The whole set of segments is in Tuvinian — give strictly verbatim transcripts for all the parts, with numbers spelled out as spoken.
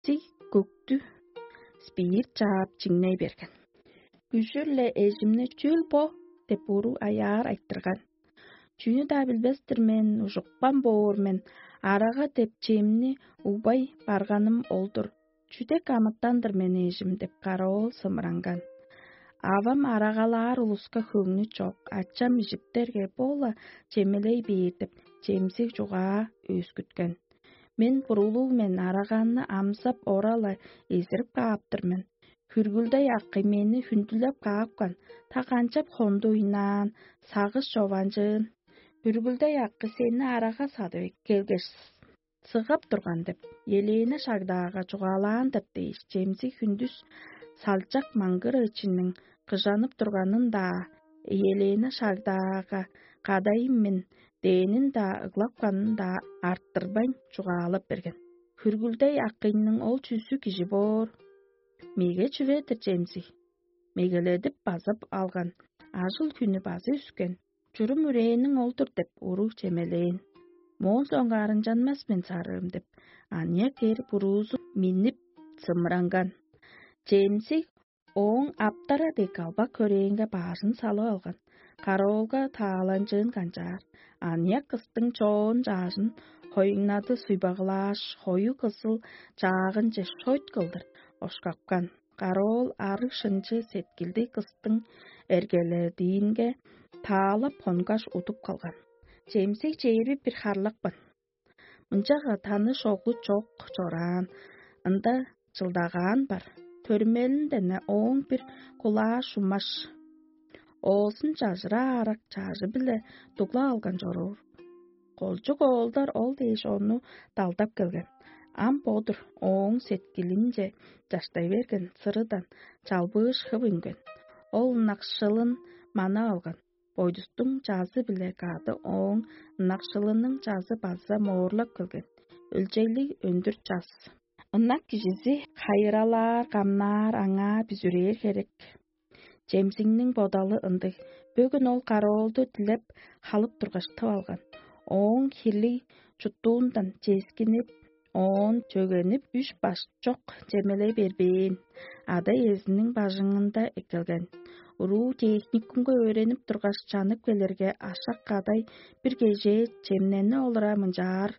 Чемсиг көктү спирт чаап чиңней берген. Күжүр-ле эжимни: «Чүүл бо?» – деп уру аяар айтырган. «Чүнү-даа билбес-тир мен, ужупкан боор мен, арага деп чемни угбай барганым ол-дур. Чүдек амытан-дыр мен, эжим?» – деп каравыл сымыранган. Авам арагалаар улуска хөңнү чок, ачам ижиптерге, бо-ла чемелей бээр деп, чемсиг чугаа өскүткен. Мен бурулуг мен, араганны амзап, ора-ла эзирип кааптыр мен. Хүргүлдей акый мени хүндүлеп каапкан, та канчап хонду ыйнаан, сагыш чованчыын. Хүргүлдей акый сени арага садып келгеш, сыгап турган деп, Елена шагдаага чугаалаан-дыр дээш, чемсиг хүндүс салчак маңгыр ычынның кыжанып турганын-даа, Елена шагдаага кадайым мен дээнин-даа, ыглапканын-даа арттырбайн чугаалап берген. Хүргүлдей акыйның ол чүзү кижи боор? Меге чүве-дир чемзиг. Мегеледип базып алган, ажыл-хүнү база үскен. Чурум үрээниң ол-дур деп, уруг чемелээн. Моон соңгаар ынчанмас мен, сарыым деп, аныяк эр буруузу миннип сымыранган. Чемзиг ооң аптара дег калбак хөрээнге баажын салып алган. Караоолга тааланчыын канчаар. Аныяк кыстың чоон чаажын хоюңнады суйбагылааш, хою кызыл чаагынче шойт кылдыр ошкапкан. Караоол арыг шынчы сеткилди кыстың эргеледиинге таалап хонгаш удуп калган. Чемсиг чээрби бир харлапкан. Мынчага таныш оглу чок чораан, ында чылдагаан бар. Төрүмелинден-не ооң бир кулаа шумаш, оозун чажыраа арак чажы-биле дугла алган чоруур. Колчук оолдар ол дээш ону далдап келген. Ам бо-дур ооң сеткилинче чаштай берген сырыдан чалбыыш хып үнген. Ол ынакшылын манап алган. Бойдустуң чазы-биле кады ооң ынакшылының чазы база моорлап келген. Өлчейлиг өндүр час. Ынак кижизи хайыралаар, камнаар, аңаа бүзүрээр херек. Чемзиңниң бодалы ындыг. Бөгүн ол караоолду дилеп халып тургаш, тып алган. Ооң хирлиг чуттуундан ческинип, оон чөгенип, үш баш чок чемелей бербээн. Ада-иезиниң бажыңында эккелген. Уруу техникумга өөренип тургаш, чанып келерге, ашак кадай бир кежээ чемнени олура мынчаар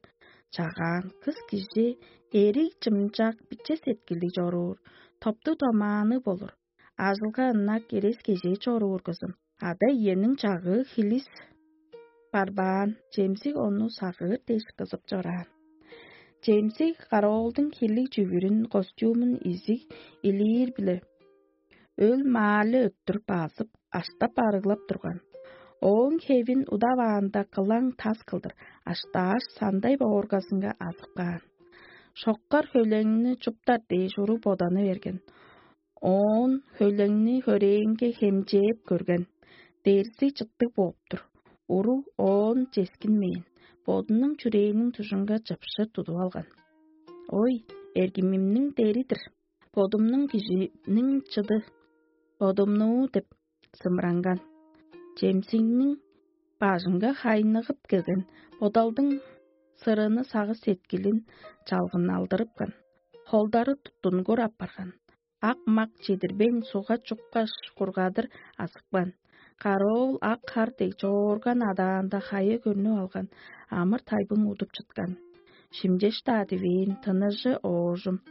чагаан: «Кыс кижи эриг чымчак, биче сеткилдиг чоруур, топтуг-томаанныг болур. Ажылга ынак, эрес-кежээ чоруур кызым». Ада-иениң чагыы хилис барбаан, Чемзиг ону сагыыр дээш кызып чораан. Чемзиг караоолдуң хилиг чүвүрүн, костюмун изиг илиир-биле өл-маалы өттүр базып, аштап-арыглап турган. Ооң хевин удаваанда кылаң тас кылдыр аштааш, сандай бооргазынга азып каан. Шоккар хөйлеңни чуптар дээш уруг боданы берген. Оон хөйлеңни хөрээңге хемчээп көрген. Дерзи чыттыг бооп-тур. Уруг оон ческинмээн, бодунуң чүрээниң дужунга чыпшы тудуп алган. «Ой, эргимимниң дери-дир, бодумнуң кижиниң чыды, бодумнуу» деп сымыранган. Чемзигниң бажынга хайныгып келген бодалдың сырыны сагыш-сеткилин чалгыналдырыпкан. Холдары туттунгур апарган. Ак-мак чедирбейн, сугга чуккаш, кургадыр азыпкан. Караоол ак хар дег чоорган адаанда хая көрнүп алган, амыр-тайбың удуп чыткан. Шимчеш-даа дивээн, тыныжы оожум.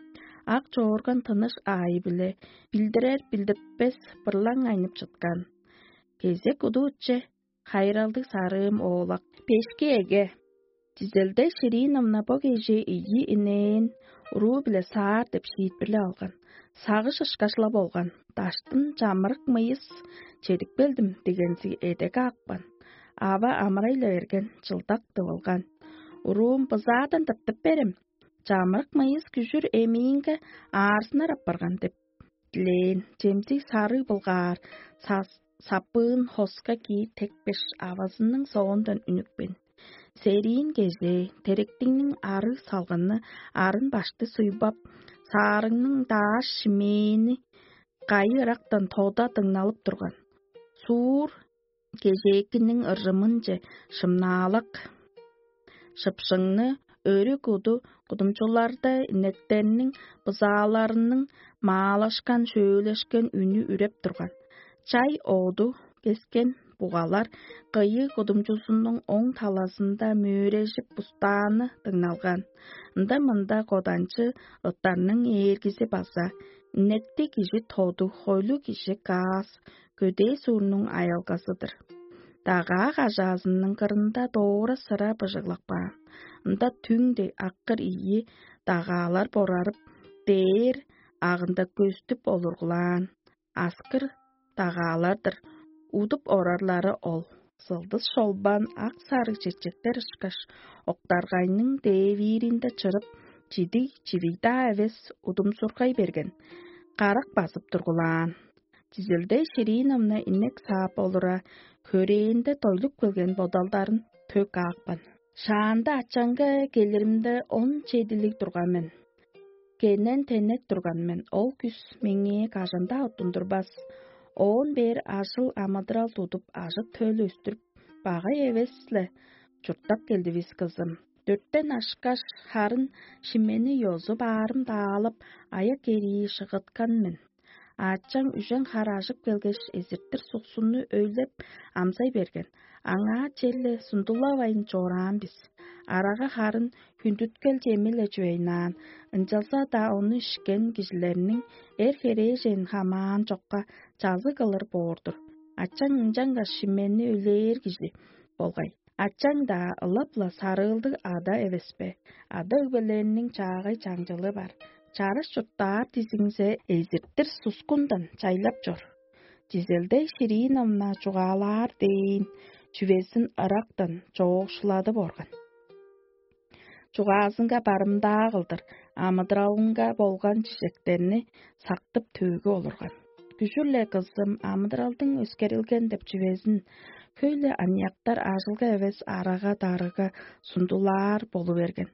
Ак чоорган тыныш аайы-биле билдирер-билдиртпес бырлаң айнып чыткан. Кезек удууче, хайыралдыг сарыым оолак: «Бешки эге, Дизелде Шириновна бо кежээ ийи инээн уруу-биле саар» деп шиитпирлеп алган. Сагыш ышкаш-ла болган. Даштын чамырык мыйыс чедип келдим дегензиг эдеге апкан. Ава амырай-ла берген, чылдак тывылган. «Уруум, бызаадан тыртып берем. Чамырык мыйыс күжүр эмиинге аарзынар апарган» деп дилээн. Чемзиг сарыг былгаар, сапыын хоска киир текпеш, авазының соондан үнүпкен. Сериин кежээ, теректиңниң арыг салгыны арын башты суйбап, саарыңның дааш шимээни кайы ырактан тода дыңналып турган. Суур кежээкиниң ыржымынче шымнаалак шыпшыңны Өрү куду кудумчуларда инектерниң бызааларының маалашкан, шөөлешкен үнү үреп турган. Чай оду кескен бугалар кыйыг кудумчузунуң оң талазында мөөрежип бустааны дыңналган. Ында-мында коданчы ыттарның ээргизи база, инекти кижи тоду, хойлу кижи каас, көдээ суурнуң аялгазы-дыр. Дагаа кажаазының кырында доора сыра быжыглап каан. Ында түң дег аккыр ийи дагаалар борарып, дээр агында көстүп олургулаан. Аскыр дагаалар-дыр, удуп орарлары ол. Сылдыс шолбан ак-сарыг чечектер ышкаш, октаргайның дээвииринде чырып, чидиг чивиг-даа эвес удумсургай берген, карак базып тургулаан. Чизилде Шириновна инек саап олура, хөрээнде дойлуп келген бодалдарын төк аапкан. Шаанда ачаңга келиримде он чедилиг турган мен. Кенен тенек турган мен, ол күс меңээ кажан-даа оттундурбас. Оон бээр ажыл амыдырал тудуп, ажы-төл өстүрүп, багай эвес-ле чурттап келдивис, кызым. Дөртен ашкаш, харын шимени ёзу баарым даалап, аяк эрии шыгыткан мен. Аачаң үжен хар ажып келгеш, эзиртир суксунну өйлеп амзай берген. Аңаа черле сундулавайн чораан бис. Арага харын хүндүткел чеми-ле чүвейнаан, ынчалза-даа ону ишкен кижилерниң эр херээжен хамаан чокка чазы кылыр боор-дур. Ачаң ынчангаш шимени үлээр кижи болгай. Ачаң-даа ылап-ла сарыылдыг ада эвес бе? Ада-өгбелериниң чаагай чаңчылы бар. Чараш чурттаар дизиңзе, эзиртир сускундан чайлап чор. Дизелдей Шириновна чугаалаар дээн чүвезин ырактан чоокшуладып орган. Чугаазынга барымдаа кылдыр амыдыралынга болган чижектерни сактып, төөгү олурган. Күжүр-ле кызым амыдыралдың өскерилген деп чүвезин хөй-ле аныяктар ажылга эвес арага-дарыга сундулаар болу берген.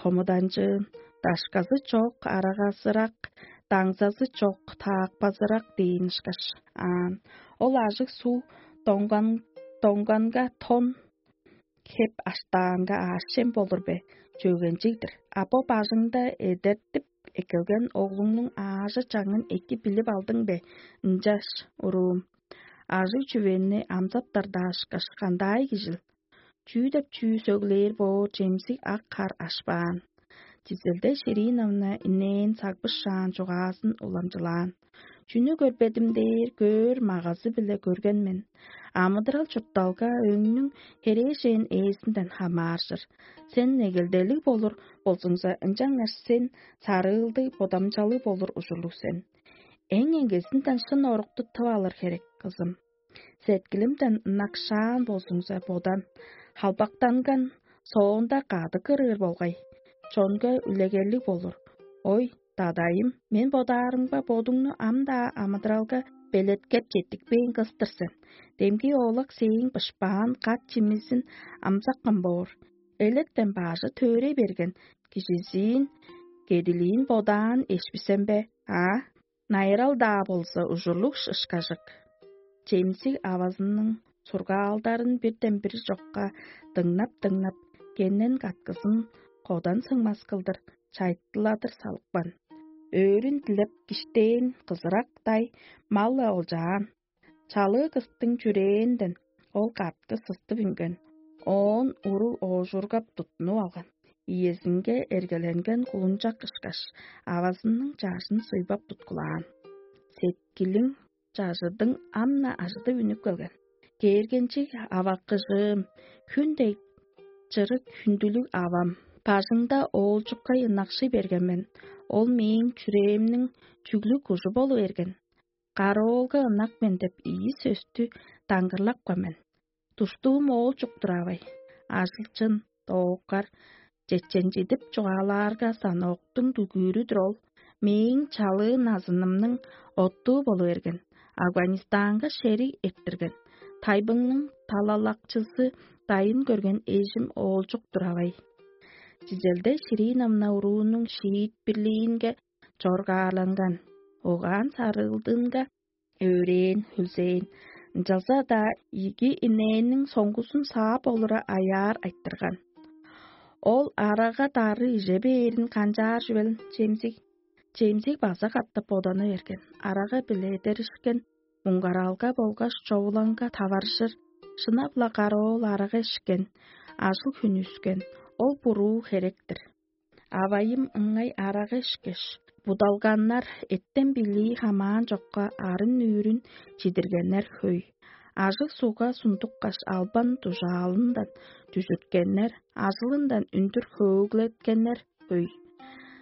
Хомуданчыын, дашказы чок арагазырак, даңзазы чок таакпазырак дээн ышкаш аан. Ол ажыг суг доңган доңганга тон хеп аштаанга аъш-чем болур бе, чөгенчиг-дир. А бо бажыңда эдертип эккелген оглуңнуң аажы-чаңын эки билип алдың бе, ынчаш, уруум? Ажыг чүвени амзаптардаашкаш, кандай кижил? Чүү деп чүү сөглээр боор чемсиг ак хар ашпаан. Чизелде Шириновна инээн сагбышаан чугаазын уламчылаан. Чүнү көрбедим дээр көөр магазы-биле көрген мен. Амыдырал чуртталга өңнүң херээжен ээзинден хамааржыр. Сен негелделиг болур болзуңза, ынчангаш сен сарыылдыг, бодамчалыг болур ужурлуг сен. Эң эңгезинден шын орукту тып алыр херек, кызым. Сеткилимден ынакшаан болзуңза, бодан, халбактанган соонда кады кырыыр болгай. Чонга үлегерлиг болур. Ой, дадайым, мен бодаарымга бодуңну ам-даа амыдыралга белеткеп четтикпээн кыс-тыр сен. Демги оолак сээң бышпаан кат чимизин амзаккан боор. Электен бажы төөрей берген кижизиин кедилиин бодаан эшписем бе, а? Найырал-даа болза ужурлуг ышкажык. Чемсиг авазының сургаалдарын бирден бир чокка дыңнап-дыңнап, кеннен каткызын кодан сыңмас кылдыр чайттыладыр салыпкан. Өөрүн дилеп киштээн кызырактай мал-ла олчаан. Чалыы кыстың чүрээнден ол катты сыстып үнген, оон уруг оожургап туттунуп алган. Иезинге эргеленген кулунчак ышкаш, авазының чажын суйбап туткулаан. Сеткилиң чажыдың ам-на ажыдып үнүп келген. Кээргенчиг аваккыжыым, хүн дег чырык хүндүлүг авам, бажыңда оолчуккай ынакшый берген мен, ол мээң чүрээмниң чүглүг кужу болу берген. Кароолга ынак мен деп ийи сөстү даңгырлапкан мен. Душтуум оол чуктур авай. Ажылчын, дооккар, чеченчидип чугаалаарга, станоктуң дүгүүрү-дүр ол. Мээң чалыы назынымның оттуу болу берген. Афганистанга шериг эрттирген. Тайбыңның талалакчызы дайын көрген эжим оолчук-тур авай. Чизелде Шириновна уруунуң шиитпирлиинге чоргаарланган. Угаан сарыылдыынга өөрээн, хүлзээн, ынчалза-даа ийиги инээнниң соңгузун саап олура аяар айтырган. Ол арага-дары иже бээрин канчаар чүвел, Чемзиг? Чемзиг база катап бодана берген. Арага-биле эдеришкен, муңгаралга болгаш човулаңга таваржыр, шынап-ла кароол арага ишкен, ажыл-хүн үскен, ол буруу херек-тир. Авайым ыңай арага ишкеш, будалганнар, эттен билии хамаан чокка арын-нүүрүн чидиргеннер хөй. Ажыг сугга сундуккаш, албан дужаалындан дүжүрткеннер, ажылындан үндүр хөөглеткеннер хөй.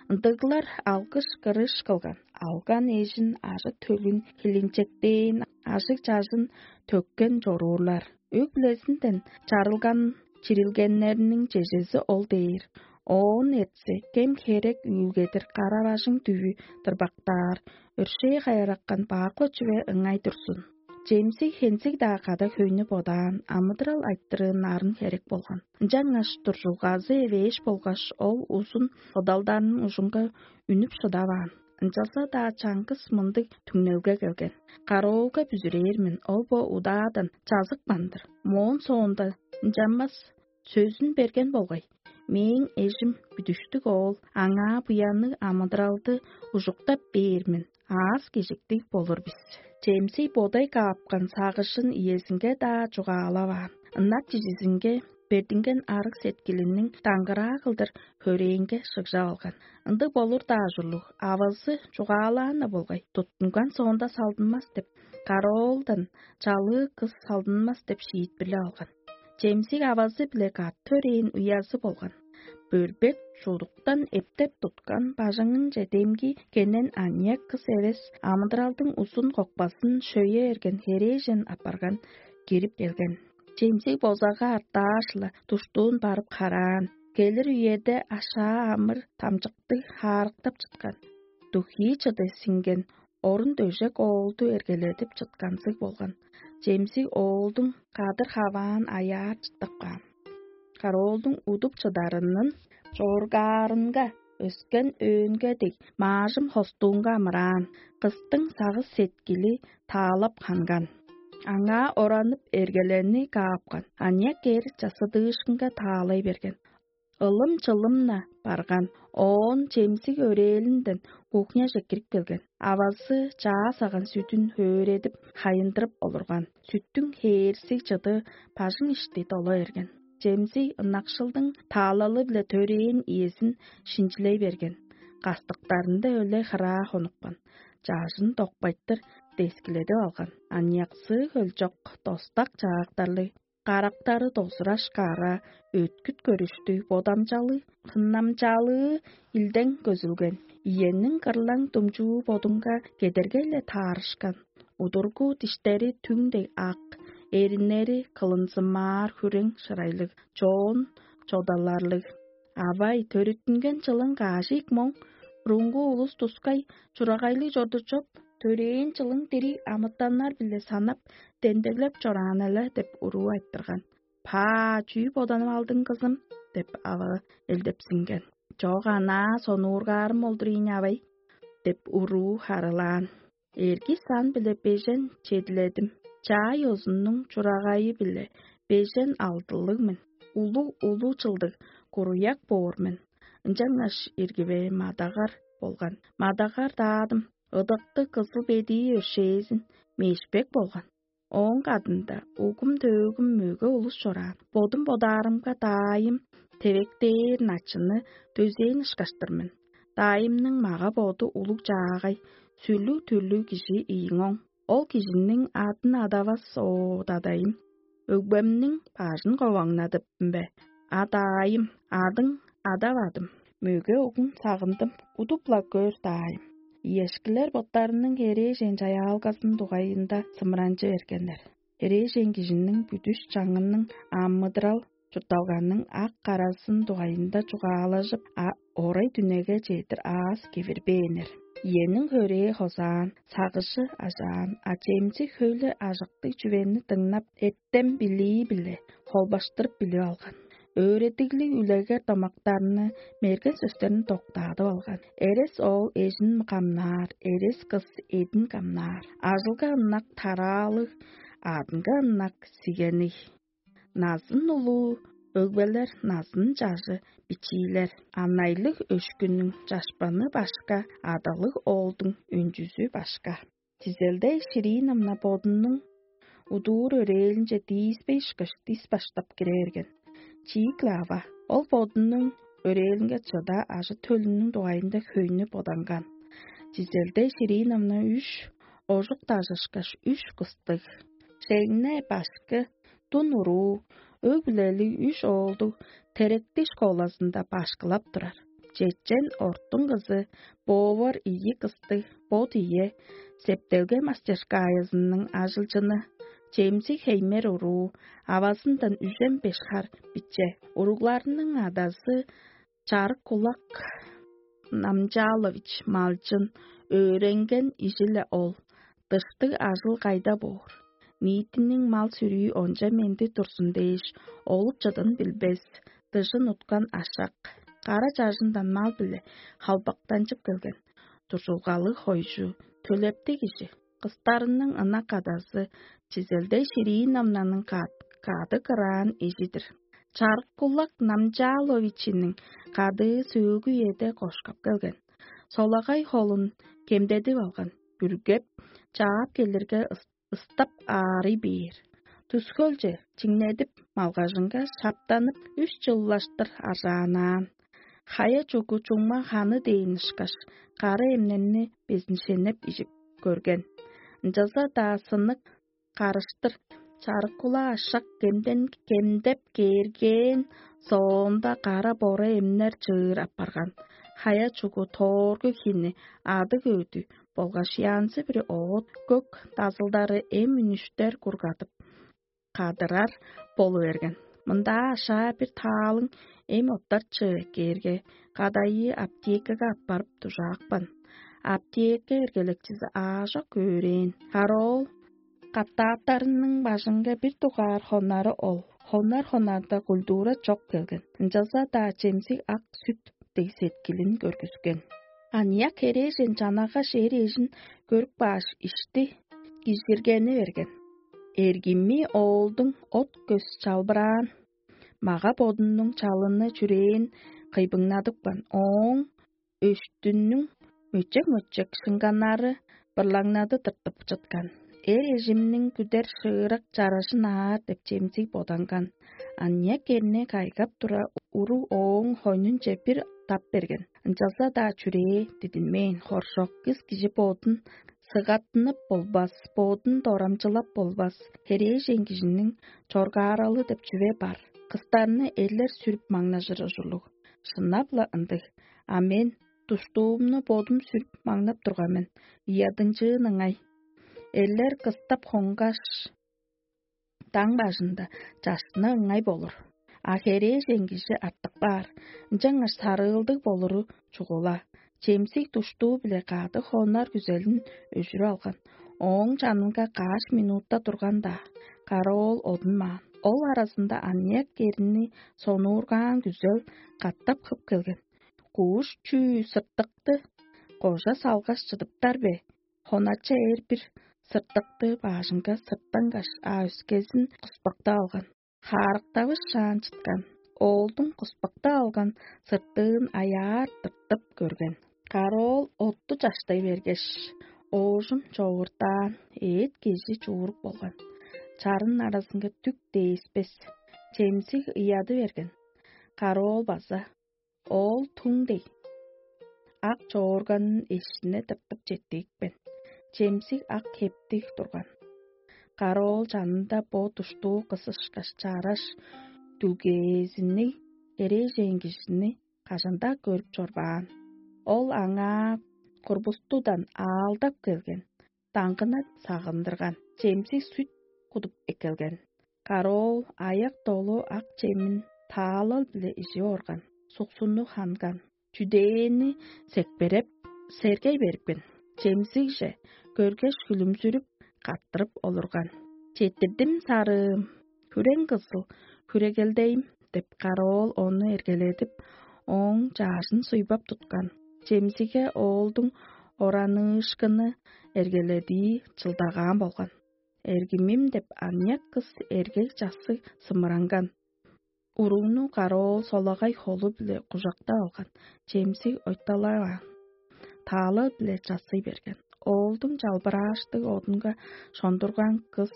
Ындыглар алгыш-кырыш кылган, алган эжин, ажы-төлүн, хилинчектээн ажыг-чажын төккен чоруурлар. Өг-бүлезинден чарылган чирилгеннерниң чежези ол дээр. Оон эртсе, кем-херек үүлгедир кара-бажың дүвү дырбактаар, өршээ кайыраккан бак-ла чүве ыңай турзун. Чемсиг хензиг-даа када хөйнү бодаан, амыдырал айтырыын нарын херек болган. Ынчангаш дуржулгазы эвээш болгаш, ол узун бодалдарның ужунга үнүп шыдаваан. Ынчалза-даа чаңгыс мындыг түңнелге келген: «Кароолга бүзүрээр мен, ол бо удаадан чазыпкан-дыр. Моон соонда ынчанмас сөзүн берген болгай. Мээң эжим бүдүштүг оол, аңаа буянныг амыдыралды ужуктап бээр мен, аас-кежиктиг болур бис». Чемсий бодай каапкан сагышын иезинге-даа чугаалаваан. Ынак чижизинге бердинген арыг-сеткилиниң даңгыраа кылдыр хөрээнге шыгжап алган. Ындыг болур-даа ужурлуг, авазы чугаалаан-на болгай, туттунган соонда салдынмас деп, караоолдан чалыы кыс салдынмас деп шиитпирлеп алган. Чемсиг авазы-биле кат төрээн уязы болган. Бөрбек чудуктан эптеп туткан бажыңынче демги кенен аныяк кыс эвес, амыдыралдың узун кокпасын шөе эрген херээжен апарган, кирип келген. Чемсиг бозага артааш-ла душтуун барып хараан. Келир үеде ашаа амыр тамчыктыг хаарыктап чыткан. Духии чыды сиңген орун-дөжек оолду эргеледип чытканзыг болган. Чемсиг оолдуң кадыр-хаваан аяар чыттап каан. Кароолдуң удуп чыдарынын чоргаарынга өскен өөнге дег, маажым хостуунга амыраан, кыстың сагыш-сеткили таалап ханган. Аңаа оранып, эргелени каапкан, аныяк эр часыдыышкынга таалай берген. Ылым-чылым-на барган, оон Чемсиг өрээлинден кухняже кирип келген. Авазы чаа саган сүдүн хөөредип, хайындырып олурган. Сүттүң хээрзиг чыды бажың ишти дола берген. Чемсиг ынакшылдың таалалы-биле төрээн иезин шинчилей берген. Кастыктарында өле-хыраа хонупкан. Чажын докпайтыр дескиледип алган. Аныяксыы хөлчок, достак чаактарлыг, карактары дозураш кара, өткүт көрүштүг, бодамчалыг, хыннамчалыы илдең көзүлген. Иенниң кырлаң думчуу бодунга кедергей-ле таарышкан. Удургу диштери түң дег ак, эриннери кылынзымаар хүрең шырайлыг, чоон чодаларлыг. Авай, төрүттүнген чылың каш ийик моң, бурунгу улус тускай чурагайлыг чорду чоп, төрээн чылың дириг амытаннар-биле санап, демдеглеп чораан-ла деп уруу айтырган. «Паа, чүү боданып алдың, кызым?» — деп ава элдепсинген. «Чок, анаа сонуургаарым ол-дур ийин, авай», — деп уруу харылаан. «Эрги сан-биле бежен чедиледим. Чаай ёзуннуң чурагайы-биле бежен алдылыг мен. Улуг улуу чылдыг куруяк боор мен. Ынчангаш иргиве мадагар болган. Мадагар даадым, ыдыктыг кызыл бедии өршээзин, мешпек болган. Ооң кадында угум-төөгүм мөге улус чораан. Бодум бодаарымга, даайым тевектээр начынны дөзээн ышкаш-тыр мен. Даайымның мага-боду улуг-чаагай, сүрлүг-түрлүг кижи ийиң оң. Ол кижиниң адын адавас, оо, дадайым. Өгбемниң бажын коваңнадыптым бе? А, даайым, адың адавадым. Мөге угуң сагындым, удуп-ла көр, даайым». Иешкилер боттарының херээжен чаяалгазының дугайында сымыранчы эргеннер. Херээжен кижиниң бүдүш чаңының амыдырал чуртталганың ак-каразын дугайында чугаалажып, а орай дүнеге чедир аас кивирбээннер. Иениң хөрээ хозаан, сагыжы ажаан, а чемчи хөйле ажыктыг чүвени дыңнап, эттен билии-биле холбаштырып билип алган. Өөредиглиг үлегер домактарны, мерген сөстерин доктаадып алган. Эрес оол эжин камнаар, эрес кыс эдин камнаар. Ажылга ынак тараалыг, адынга ынак сигений. Назын улуу өгбелер назын чажы бичиилер. Анайлыг өшкүннүң чашпаны башка, адалыг оолдуң өнчүзү башка. Тизелдей шириин ымна бодунуң удуур өрээлинче дииспей ышкаш, дис баштап кире берген. Чиик-ле ава, ол бодунуң өрээлинге чыда ажы-төлүнүң дугайында хөйнү боданган. Тизелдей шириин ымна үш ожук дажышкаш, үш кыстыг, шеңне башкы, дун уруу, өг-бүлелиг үш оолдуг теректиш школазында башкылап турар. Чечен ортуң кызы, боовар ийи кыстыг, бот ийе, септелге мастерскаязының ажылчыны, чемзиг хеймер уруу, авазындан үжен беш хар биче. Уругларының адазы чарык кулак Намчалович малчын, өөренген ижи-ле ол. Дыштыг ажыл кайда боор? Ниитиниң мал-сүрүү онча менди турзун дээш, олуп-чыдын билбес, дыжын уткан ашак, кара чажындан мал-биле халбактанчып келген, дуржулгалыг хойжу, төлептиг кижи. Кыстарының ынак адазы Чизелдей Ширииновнаның кады кыраан ижи-дир. Чарык-кулак Намчаловичиниң кадыы сөөгү үеде кошкап келген. Солагай холун кемдедип алган, бүргеп, чаап келирге ыстап аарый бээр. Тускөлче чиңнедип, малгажынга шаптанып, үш чыллаштыр аржаанаан. Хая чугу чуңма ханы дээн ышкаш, кары эмненни безиншеннеп ижип көрген. Ынчалза-даа сынык карыштыр чарыккула ашак кемден кемдеп кээргээн соонда кара бора эмнер чыыр апарган. Хая чугу тооргу хини адыг өөдү болгаш янзы-бүрү оът көк дазылдары эм үнүштер кургадып, кадырар болу берген. Мындаа ашаа бир таалың эм оттарчы эккээрге, кадайы аптекага аппарып дужаапкан. Аптека эргелекчизи аажок өөрээн. Кароол катааттарының бажынга бир дугаар хоннары ол. Хоннар-хоннарда культура чок келген. Ынчалза-даа чемсиг ак сүт дег сеткилин көргүскен. Аныяк херээжен чанагаш эр эжин көрүп кааш, ишти кижиргени берген. Эргими оолдуң от көс чалбыраан, мага-бодунуң чалыны чүрээн кыйбыңнадыпкан, ооң өштүнүң мөчек-мөчек шынганнары бырлаңнады тыртып чыткан. Эр эжимниң күдер шыырак чаражын аар деп чемзиг боданган. Аныяк эрни кайгап тура, уруг ооң хойнунче бир тап берген. Ынчалза-даа чүрээ дидинмээн, хоржок кыс кижи бодун сыгаттынып болбас, бодун дорамчылап болбас. Херээжен кижиниң чоргааралы деп чүве бар. Кыстарны эрлер сүрүп маңнажыр ужурлуг. Шынап-ла ындыг. А мен душтуумну бодум сүрүп маңнап турган мен. Ыядынчыын ыңай. Эрлер кыстап хонгаш, даң бажында чашны ыңай болур. А херээжен кижи артып каар, ынчангаш сарыылдыг болуру чугула. Чемсиг душтуу-биле кады хонар күзелин өжүрүп алган. Ооң чанынга каш минутта турган-даа, каравоол одунмаан. Ол аразында аныяк эрни сонуургаан күзел катап хып келген. Кууш чүү сыртыкты кожа салгаш чыдыптар бе? Хонача эр бир сыртыкты баажынга сырттангаш, а өскезин куспакта алган. Хаарыктавыс шаан чыткан. Оолдуң куспакта алган сыртыын аяар тыртып көрген. Кароол отту чаштай бергеш, оожум човурдаан, эът кежи чууруп болган. Чарын аразынга дүк дээспес, чемсиг ыяды берген. Кароол база: «Оол туң дег, ак чоорганын эшине тыртып четтиикпен, чемсиг ак хептиг турган». Кароол чанында бо душтуу кыс ышкаш чараш дүлгээзинниг эрээжен кижини кажан-даа көрүп чорбаан. Ол аңаа курбустудан аалдап келген, даңгына сагындырган, чемсиг сүт кудуп эккелген. Кароол аяк долу ак чемин таалал-биле ижип орган, суксунну ханган, чүдээни секпереп, сергей берипкен. Чемсигже көргеш, хүлүмзүрүп, каттырып олурган. «Четтирдим, сарыым, хүрең кызыл, хүрегелдейим» — деп, кароол ону эргеледип, ооң чаажын суйбап туткан. Чемсиге оолдуң ораныышкыны эргеледии чылдагаан болган. «Эргимим» — деп, аныяк кыс эргел часы сымыранган. Уругну караоол солагай холу-биле кужактап алган, чемсиг ойталаваан, таала-биле чассый берген. Оолдуң чалбырааштыг одунга шондурган кыс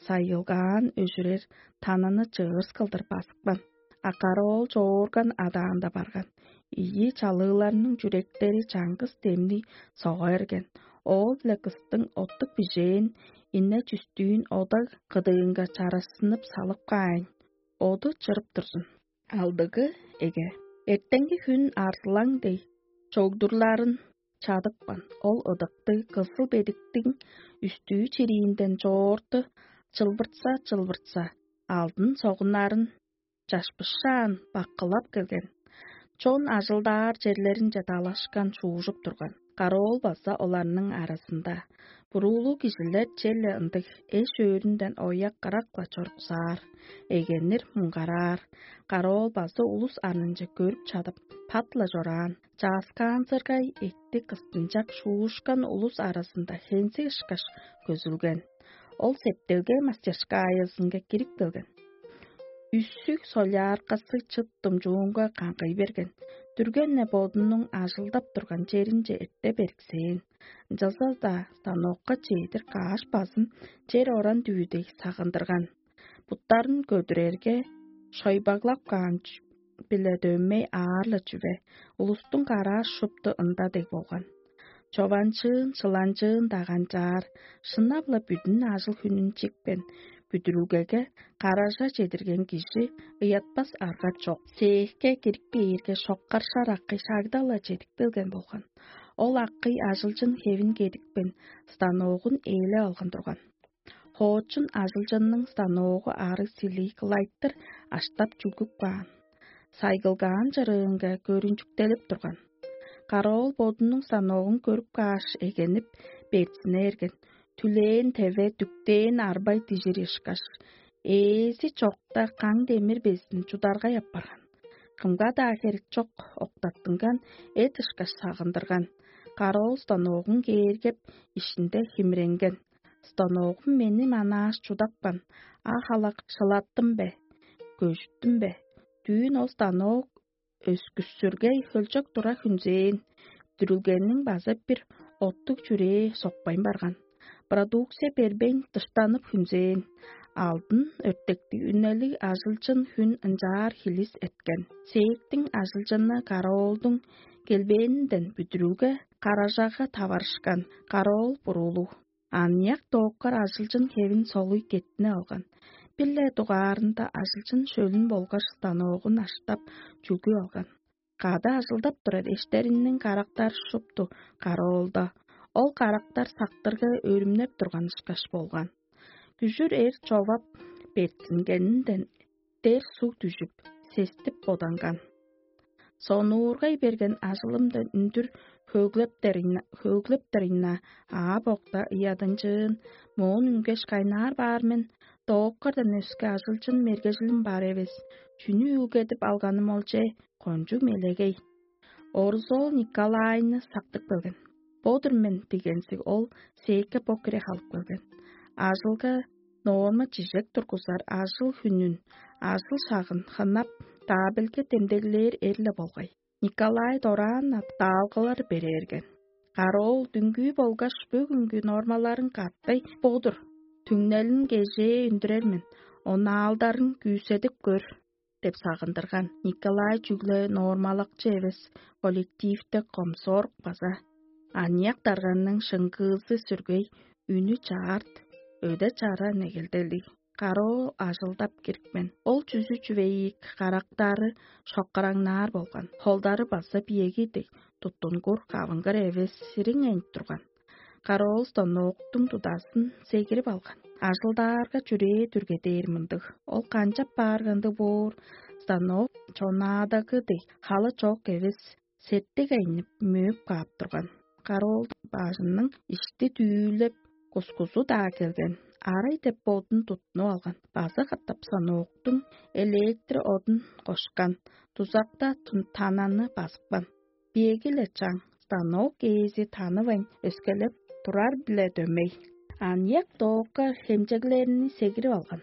сайылгаан өжүрер тананы чыырыс кылдыр базыпкан. А караоол чоорган адаанда барган. Ийи чалыыларның чүректери чаңгыс демни сога эрген. Оол-биле кыстың оттук бижээн ине чүстүүн ода кыдыынга чарасынып салып каайн, оду чырып турзун. Алдыгы эге эртеңги хүн арзылаң дег чогдурларын чадыпкан. Ол ыдыктыг кызыл бедиктиң үстүү чириинден чоорту чылбыртса-чылбыртса, алдын согуннарын чашпышаан баккылап келген. Чон ажылдаар черлеринче далашкан шуужуп турган. Караоол база оларның аразында. Буруулуг кижилер черле ындыг эш-өөрүнден ояк-кырак-ла чоруксаар, эгенир муңгараар. Караоол база улус арнынче көрүп чадып, пат-ла чораан. Чааскаанзыргай эътти кыстынчак шуушкан улус аразында хензиг ышкаш көзүлген. Ол септелге мастерскаязынга кирип келген. Үссүг соляркасы чыт думчуунга каңгый берген. Дүрген-не бодунуң ажылдап турган черинче эрте бериксээн. Ынчалза-даа станокка чедир каш базын чер оран дүвүдей сагындырган. Буттарын көдүрерге, шойбаглап каан биле дөмей аар-ла чүве, улустуң караа шупту ында дег болган. Чованчыын, шыланчыын даганчаар, шынап-ла бүдүн ажыл-хүнүн чикпен, бүдүрүлгеге каража чедирген кижи ыятпас арга чок. Сээкке кирип кээрге, шоккаршар акый шагда-ла чедип келген болган. Ол акый ажылчын хевин кедипкен, станогун ээлеп алган турган. Хоочун ажылчынның станогу аарыг силий кылайтыр аштап чүгүп каан. Сайгылгаан чырыынга көрүнчүктелип турган. Караоол бодунуң станогун көрүп кааш, эгенип, берзине эрген. Түлээн теве дүктээн арбай дижир ышкаш, ээзи чокта каң демир безин чударгай апарган. Кымга-даа херек чок октаттынган эт ышкаш сагындырган. Караоол станогун кээргеп, ишинде химиренген. Станогум мени манааш чудапкан, а халак шылаттым бе, көжүттүм бе? Дүүн ол станок өскүссүргей хөлчок тура хүнзээн, дүрүлгениң база бир оттуг чүрээ сокпайн барган. Продукция бербейн дыштанып хүнзээн. Алдын өртектиг үнелиг ажылчын хүн ынчаар хилис эткен. Сээктиң ажылчыны караоолдуң келбээнинден бүдүрүлге каражага таварышкан. Караоол буруулуг. Аныяк дооккар ажылчын хевин солуй кеттине алган. Бир-ле дугаарында ажылчын шөлүн болгаш станогун аштап, чүлгүп алган. Кады ажылдап турар эштериниң карактары шупту караоолда. Ол карактар сактырга өрүмнеп турган ышкаш болган. Күжүр эр човап, бертингенинден дер суг дүжүп, сестип боданган. Сонуургай берген ажылымдан үндүр хөөглептерин-, хөөглептерин-на, аа-бокта ыядынчыын, моон үнгеш кайнаар баар мен, дооккардан өске ажылчын мергежилим бар эвес, чүнү үүлгедип алганым ол че, кончуг мелегей. Орузол Николайны сактып келген. Бо-дур мен дегензиг ол сээкке бо кире халып келген. Ажылга норма чижек тургузар ажыл хүнүн, ажыл шагын хынап, таабилге демдеглээр эрле болгай. Николай дораан даалгылар берээрген. Кароол дүңгүү болгаш бөгүнгү нормаларын каттай бо-дур. Түңнелин кежээ үндүрер мен, онаалдарын күүседип көр деп сагындырган. Николай чүгле нормалакчы эвес, коллективте комсорг база. Аныяк дарганның шыңгыызы сүргей, үнү чаарт, өде-чара негелделиг. Кароо ажылдап кирипкен. Ол чүзү чүвейик, карактары шоккараңнаар болган. Холдары база биеги дег, туттунгур, кавынгыр эвес, сириң энип турган. Кароол станоктуң тудасын сегирип алган. Ажылдаарга чүрээ дүргедээр мындыг. Ол канчап бааргандыг боор, станок чонаадагы дег, халы чок эвес, сеттиг айнып, мөөп каап турган. Кароол бажының ишти дүүлеп, кускузу-даа келген. Арай деп бодун туттунуп алган. База катап станоктуң электр одун кошкан. Дузакта тун-, тананы базыпкан. Биеги-ле чаң, станок ээзи танывайн өскелеп турар-биле дөмей. Аныяк доокка хемчеглерни сегирип алган.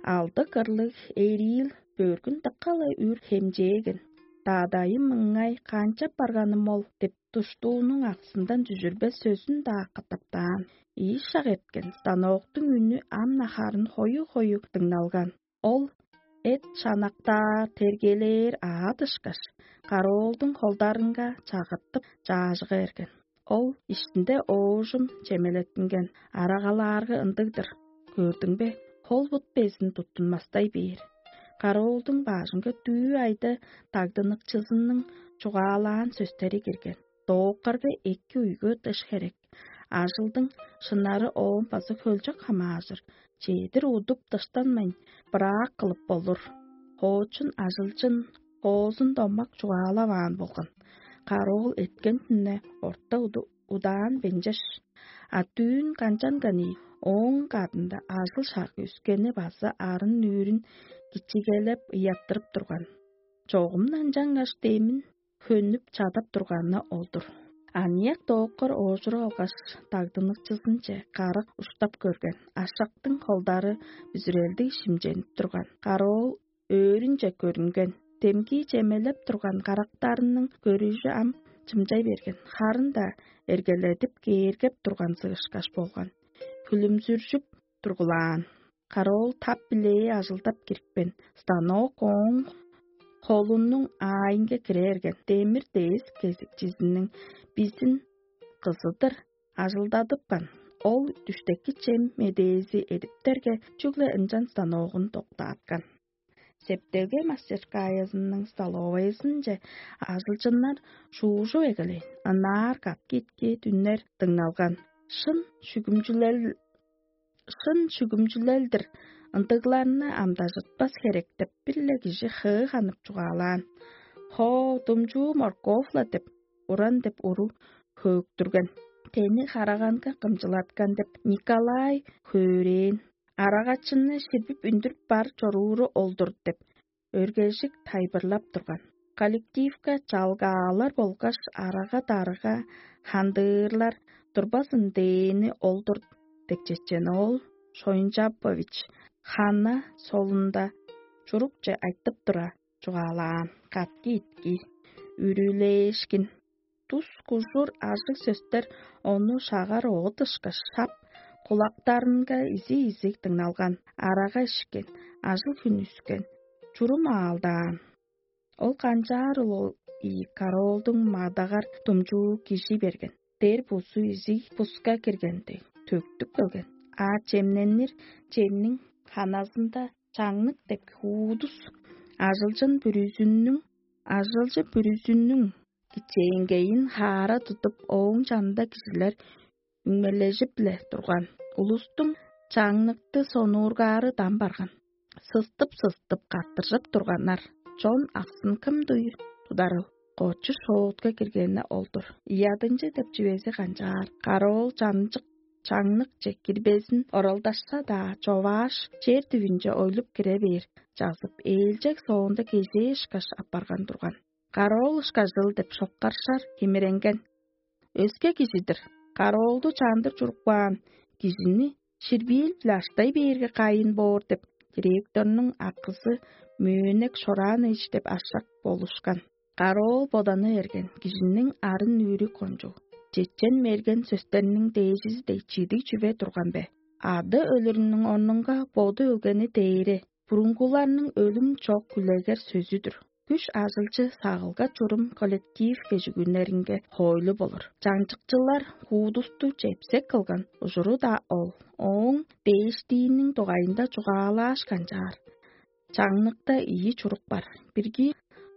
Алды кырлыг эриил бөргүн дыка-ла үр хемчээген. «Дадайым мыңай, канчап барганым ол?» — деп, душтуунуң аксындан дүжүрбес сөзүн-даа катаптаан. Ийи шак эрткен, станоктуң үнү ам-на харын хою-хою дыңналган. Ол эт шанактаар, тергелээр аът ышкаш, караоолдуң холдарынга чагыртып, чаажыга берген. Ол иштинде оожум чемелеттинген, арагалаарга ындыг-дыр. Көрдүң бе, хол-бут безин туттунмастай бээр. Караоолдуң бажынга дүү айда дагдыныкчызының чугаалаан сөстери кирген. Дооккарга эки уйгу дыш херек. Ажылдың шынары оон база хөлчок хамаажыр. Чедир удуп дыштанмайн, быраак кылып болур. Хоочун ажылчын хоозун домак чугаалаваан болган. Караоол эрткен хүнне орта уду удаан бенчеш, а дүүн канчанган ийик, ооң кадында ажыл шагы үскени база арын нүүрүн кичигелеп ыяттырып турган. Чогум ынчангаш демин хөнүп чадап турганы ол-дур. Аныяк дооккор оожуруп алгаш, дагдыныкчызынче карак уштап көрген, ашактың холдары бүзүрелдиг шимченип турган. Караоол өөрүнче көрүнген, демги чемелеп турган карактарының көрүжү ам чымчай берген, харын-даа эргеледип кээргеп турган сыышкаш болган. Хүлүмзүржүп тургулаан. Караоол тап-билээ ажылдап кирипкен, станок ооң холунуң аайынга кире берген. Демир дээс кезикчизиниң бизин кызыдыр ажылдадыпкан. Ол дүштеки чем медээзи эдиптерге, чүгле ынчан станогун доктааткан. Септелге мастерскаязының столовайызынче ажылчыннар шуужуп эгелээн, ынаар катки-итки дүннер дыңналган. Шын шүгүмчүлел, шын шүгүмчүлел-дир, ындыгларны амдажытпас херек деп бир-ле кижи хыы ханып чугаалаан. «Хо, думчуу морковь-ла» деп, уран деп уру хөөктүрген. Тени хараганга кымчылаткан деп Николай хөөрээн. Арагачынны ширбип үндүрүп бар чорууру ол-дур деп, өргежик тайылбырлап турган. Коллективке чалгаалар болгаш арага-дарыга хандыырлар турбазын дээни ол-дур деп, чечен оол Шойнчапович хана солунда чурукче айтып тура чугаалаан. Катки-итки, үрүлээшкин, тус-кужур ажыг сөстер ону шагар оът ышкаш шап, кулактарынга изиг-изиг дыңналган. Арага ишкен, ажыл-хүн үскен, чурум аалдаан. Ол канчаарыл ол ийи караоолдуң мадагар думчуу кижи берген. Дер бузу изиг буска киргенде, төктүп келген. А чемненир чемниң ханазында чаңнык деп хуудус ажылчын бүрүзүннүң, ажылчы бүрүзүннүң кичээнгейин хаара тудуп, ооң чанында кижилер үңмележип-ле турган. Улустуң чаңныкты сонуургаары дам барган. Сыстып-сыстып каттыржып турганнар. Чон аксын кым дуй тударыл? Кочу шоотка киргени ол-дур. Ядынчы деп чүвези канчаар? Караоол чанчык чаңныкче кирбезин оралдашса-даа, човааш, чер түвүнче ойлуп кире бээр чазып, ээлчег соонда кезээ ышкаш апарган турган. Караоол ышкажыл деп шоккаршар химиренген. Өске кижи-дир, караоолду чандыр чуруп каан кижини ширбиил-биле аштай бээрге кайын боор деп, директорнуң акызы Мөөнек Шораанович деп ашак болушкан. Караоол боданы берген кижиниң арын-нүүрү кончуг. Чечен-мерген сөстерниң дээжизи дег чидиг чүве турган бе? Ады өлүрүнүң орнунга боду өлгени дээре, бурунгуларның өлүм чок үлегер сөзү-дүр. Күш ажылчы сагылга чурум коллектив кежигүннеринге хоойлу болур. Чаңчыкчылар хуудусту чепсек кылган ужуру-даа ол. Ооң дээштииниң дугайында чугаалааш канчаар. Чаңныкта ийи чурук бар. Бирги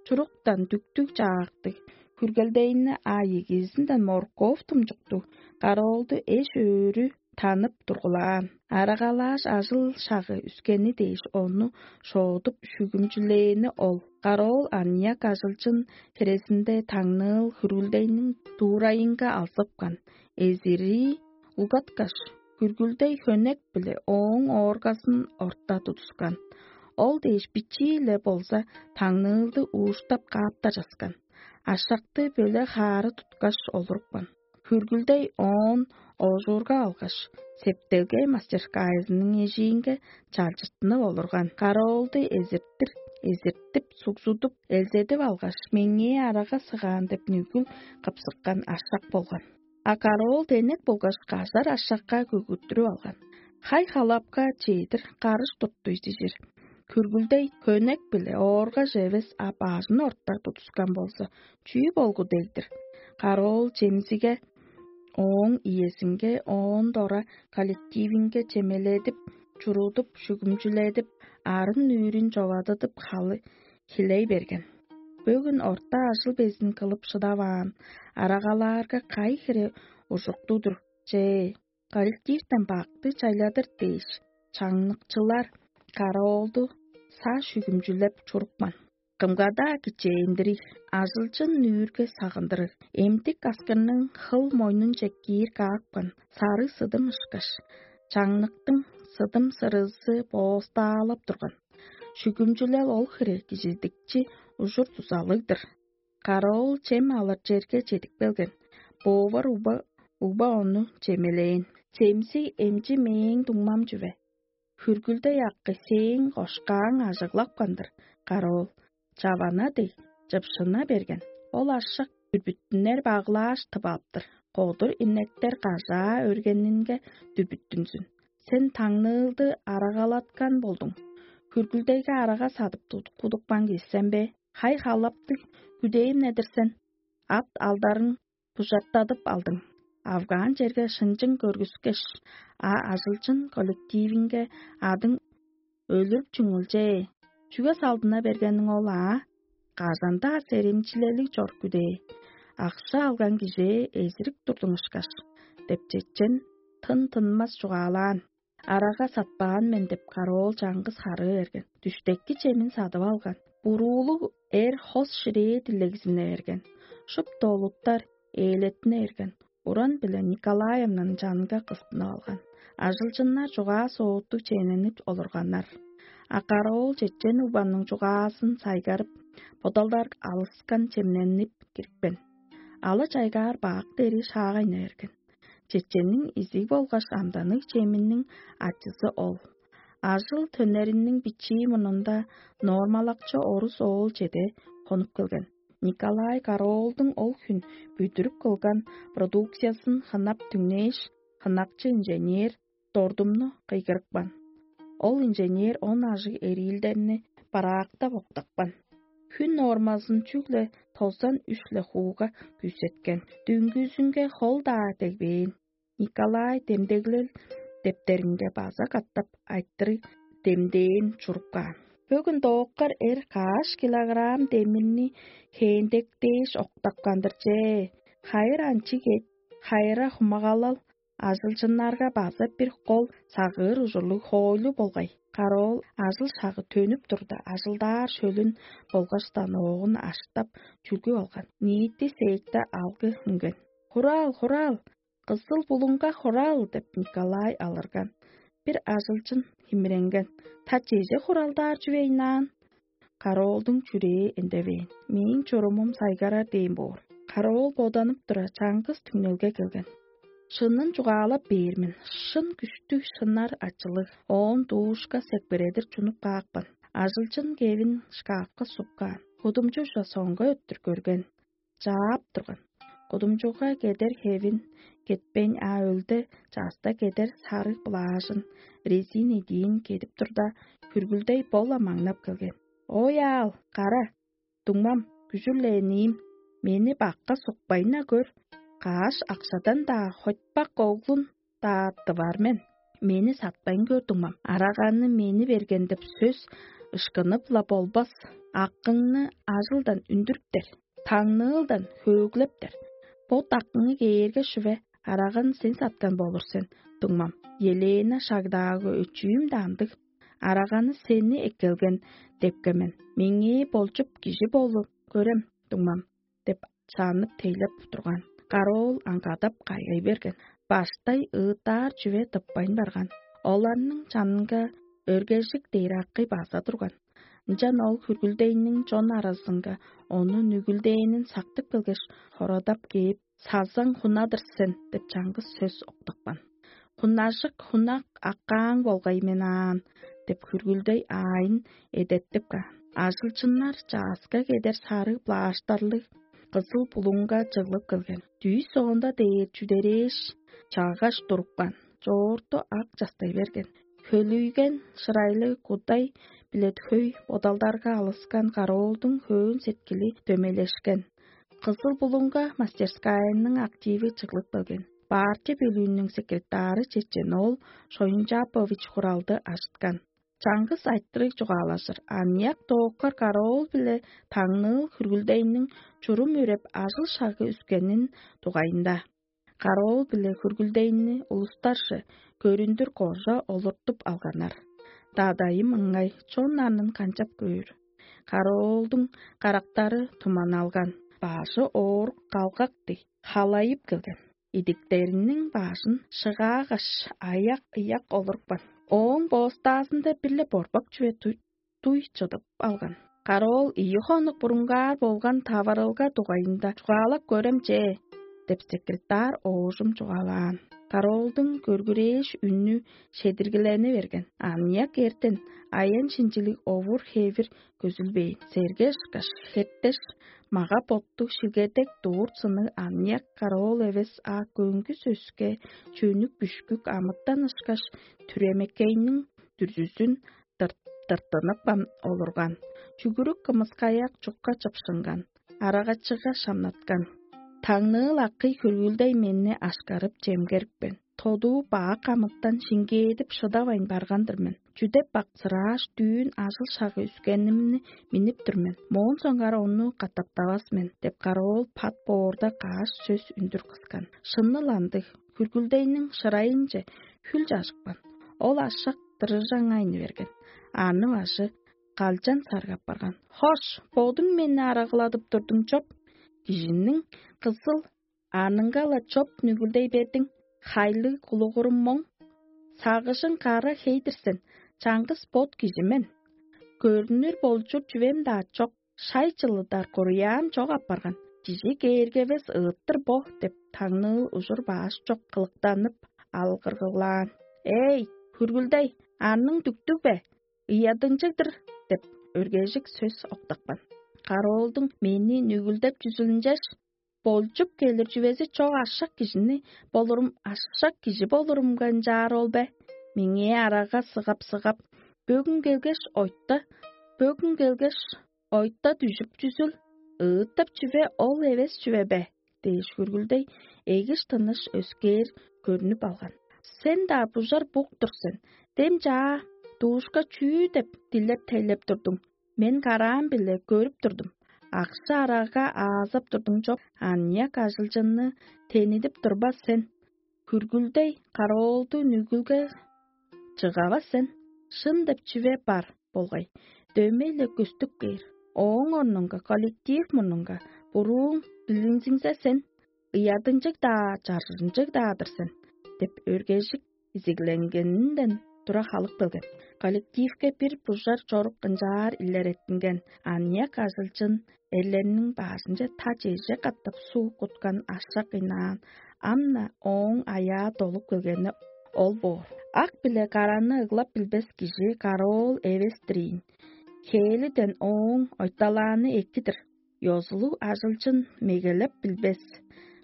чуруктан дүктүг чаактыг хүргелдейни, а ийигизинден морковь тумчуктуг караоолду эш-өөрү танып тургулаан. Арагалааш ажыл шагы үскени дээш, ону шоодуп, шүгүмчүлээни ол. Караоол аныяк ажылчын хирезинде таңныыл хүргүлдейниң дуурайынга алзыпкан. Эзирии улгаткаш, хүргүлдей хөнек-биле ооң ооргазын орта тудускан. Ол дээш бичии-ле болза, таңныылды ууштап кааптар часкан. Ашакты бөле хаары туткаш олурупкан. Хүргүлдей оон оожуурга алгаш, септелге мастерскайызының эжиинге чалчыртынып олурган. Караоолду эзиртир эзиртип, сугзудуп, элзедип алгаш, меңээ арага сыгаан деп нүгүл кыпсыккан ашак болган. А караоол денек болгаш кажар ашакка көгүттүрүп алган. Хай-халапка чедир карыш туттуй дижир. Күргүлдей көнек-биле ооргаш эвес, а бажын ортар тудускан болза, чүү болгу дег-дир? Караоол чемзиге, ооң иезинге, оон дора коллективинге чемеледип, чурудуп, шүгүмчүледип, арын-нүүрүн човадыдып, халы хилей берген. Бөгүн орта ажыл безин кылып шыдаваан арагалаарга кайы хире ужукту-дур че? Коллективтен бакты чайладыр дээш, чаңныкчылар караоолду саа шүгүмчүлеп чурупкан. Кымга-даа кичээндириг, ажылчын нүүрге сагындырыг, эмдик аскырның хыл мойнунче киир каапкан сарыг сыдым ышкаш, чаңныктың сыдым-сырызы боостаалап турган. Шүгүмчүлел ол хире кижидикчи ужур-дузалыг-дыр. Караоол чем алыр черге чедип келген. Повар угба, угба ону чемелээн. Чемзиг эмчи мээң дуңмам чүве. Хүргүлдей акы сээң кошкааң ажыглапкан-дыр, караоол. Чавана дег, чыпшына берген. Ол ашак дүрбүттүнер баглааш тып алыптыр. Кодур инектер кажаа өргенинге дүрбүттүнзүн. Сен таңныылды арагалаткан болдуң. Хүргүлдейге арага садып тудуп кудупкан кижи сен бе? Хай-халаптыг күдээм-не-дир сен. Ат алдарың бужартадып алдың. Авгаан черге шынчың көргүскеш, а ажылчын коллективинге адың өлүрүп чүңүлчээ. Чүге салдына бергениң ол аа? Кажан-даа серемчилелиг чор күдээ. Акша алган кижээ эзирип турдуң ышкаш, деп чечен тын-тынмас чугаалаан. Арага сатпаан мен деп, караоол чаңгыс харыы берген. Дүштеки чемин садып алган. Буруулуг эр хос ширээ дилегзине берген. Шупту олуттар ээлеттине берген. Уран-биле Николаевнаның чанынга кыстынып алган. Ажылчыннар чугаа-сооттуг чемненип олурганнар. А караоол чечен угбанның чугаазын сайгарып, бодалдар алыскан чемненип кирипкен. Ала чайгаар бак дери шаагайна берген. Чеченниң изиг болгаш амданныг чеминиң ачызы ол. Ажыл төннериниң бичии мурнунда нормалакчы орус оол чеде хонуп келген. Николай Караоолдуң ол хүн бүдүрүп кылган продукциясын хынап түңнээш, хынакчы инженер Дордумну кыйгырыпкан. Ол инженер он ажыг эриилдерни бараактап октапкан. Хүн нормазын чүгле тозан үш-ле хууга күүсеткен. Дүңгүзүнге хол-даа дегбээн. Николай демдеглел дептеринге база катап айтырыг демдээн чуруп каан. Бөгүн дооккар эр каш килограмм демирни хээндек дээш октапкан-дыр че. Хайыр анчы кет, хайыра хумагалал, ажылчыннарга база бир кол сагыыр ужурлуг хоойлу болгай. Караоол ажыл шагы төнүп турда, ажылдаар шөлүн болгаш станогун аштап чүлгүп алган. Ниити сеекте алгы үнген. «Хураал, хураал! Кызыл булуңга хураал!» — деп Николай алырган. Бир ажылчын химиренген: «Та чеже хуралдаар чүвейнаан?» Караоолдуң чүрээ эндевээн. Мээң чурумум сайгарар дээн боор. Караоол боданып тура, чаңгыс түңнелге келген. Шынын чугаалап бээр мен. Шын күштүг шынар ачылыг. Оон дуушка сепкередир чунуп каапкан. Ажылчын кевин шкафка суккаан. Кудумчу ужа соңга өттүр көрген. Чаап турган. Кудумчуга кедер хевин кетпейн, а өлде часта кедер сарыг плажын, резин идиин кедип турда, хүргүлдей бо-ла маңнап келген. «Ой, аал, кара, дуңмам, күжүр-ле ниим, мени бакка сукпайн-на көр, каш акшадан-даа, хотпак оглун-даа тывар мен. Мени сатпайн көр, дуңмам. Араганы мени берген деп сөс ышкынып-ла болбас. Акыңны ажылдан үндүрүптер, таңныылдан хөөглептер. Бо дакыңы кээрге шүве, араганы сен саткан болур сен, дуңмам. Елена шагдаагы өчүүм-даа ындыг. Араганы сени эккелген депкемен. Меңээ болчуп кижи болу көрем, дуңмам» — деп чааннып тейлеп турган. Караоол аңгадап кайгай берген. Баштай ыыттаар чүве тыппайн барган. Оларның чанынга өргежик дээр акый база турган. Ынчан ол хүргүлдейниң чон аразынга ону нүгүлдээнин сактып келгеш, хорадап кээп: «Сазаң хуна-дыр сен» — деп чаңгыс сөс октапкан. «Хунажык, хунак аккааң болгай мен аан» — деп хүргүлдей аайын эдертип каан. Ажылчыннар чааска кедер сарыг плаштарлыг кызыл булуңга чыглып келген. Дүүс соонда дээр чүдерээш, чаагаш турупкан, чоорту ак частай берген. Хөлүйген шырайлыг кудай билет хөй бодалдарга алыскан кароолдуң хөөн сеткили дөмейлешкен. Кызыл булуңга мастерскайының активи чыглып келген. Партия бөлүүнүң секретары Чечен ол Шойунчапович хуралды ажыткан. Чаңгыс айтырыг чугаалажыр, аныяк дооккар караоол биле таңныыл хүргүлдейниң чурум үреп ажыл-шагы үскенин дугайында. Караоол биле хүргүлдейни улустарже көрүндүр кожа олуртуп алганнар. Дадайым ыңай чон анын канчап көөр? Караоолдуң карактары туманалган, бажы оорук калгак дег, халайып келген. Идиктериниң баажын шыгаагаш, аяк-ыяк олурупкан. Ооң боостаазында бир-ле борбак чүве туй, туй чыдып алган. Караоол ийи хонук бурунгаар болган таварылга дугайында чугаалап көрем че деп, секретарь оожум чугаалаан. Караоолдуң көргүрээш үннү шедиргилени берген. Аныяк эртен аян-шинчилиг овур-хевир көзүлбээн. Серге ышкаш, хеттеш, мага-боттуг шилгедек дуур сынныг аныяк караоол эвес, а көңгүс өске чөнүк-бүшкүк амытан ышкаш, түремекейниң дүрзүзүн дырт-, дыртынып ам олурган. Чүгүрүк кымыскаяк чукка чыпшынган, арагачыга шамнаткан. Таңныыл акый хөргүлдей менни ашкарып чемгерипкен. Тодуу баак амытан шиңгээдип шыдавайн барган-дыр мен. Чүдеп баксырааш, дүүн ажыл-шагы үскенимни миннип тур мен. Моон соңгаар ону катаптавас мен деп, караоол пат боорда каш сөс үндүр кыскан. Шынныл андыг, хүргүлдейниң шырайынче хүл чажыпкан. Ол ашак дырыжаңайны берген. Аны бажы калчан саргап барган. Хош, бодуң мени арагыладып турдуң чоп. Кижиниң кызыл аныңга-ла чоп нүгүлдей бердиң. Хайлыг кулугурум моң. Сагыжың кара хей-дир сен, чаңгыс бот кижи мен. Көрүнүр болчур чүвем-даа чок, шай чылыдар куруяам чок апарган. Кижи кээргевес ыыттыр бо деп, таңныыл ужур бааш чок кылыктанып алгыргылаан. Эй, хүргүлдей, анның дүктүг бе? Ыядынчыг-дыр деп, өргежик сөс октапкан. Кароолдуң мени нүгүлдеп чүзүлүнчеш, болчуп келир чүвези чок ашак кижини болурум, ашак кижи болурумга ынчаар ол бе? Меңээ арага сыгап-сыгап, бөгүн келгеш, ойта, бөгүн келгеш, ойта дүжүп чүзүл, ыыттап чүве ол эвес чүве бе? Дээш, хүргүлдей эгиш тыныш өскээр көрүнүп алган. Сен-даа бужар бук-тур сен. Дем чаа, дуушка чүү деп дилеп-тейлеп турдуң? Мен караам-биле көрүп турдум. Акша-арага аазап турдуң чоп, аныяк ажылчынны тенидип турбас сен. Хүргүлдей караоолду нүгүлге чыгавас сен. Шын деп чүве бар болгай. Дөмей-ле көстүп кээр. Ооң орнунга, коллектив мурнунга бурууң билиңзиңзе сен, ыядынчыг-даа, чаржынчыг-даа-дыр сен деп, өргежик изигленгенинден тура халып келген. Коллективке бир бужар чорук ынчаар илереттинген. Аныяк ажылчын эрлерниң баажынче та чеже катап суг куткан ашак ыйнаан, ам-на ооң аяа долуп келгени ол боор. Ак биле караны ыглап билбес кижи караоол эвес-тир ийин. Хээлиден ооң ойталааны эки-дир. Ёзулуг ажылчын мегелеп билбес.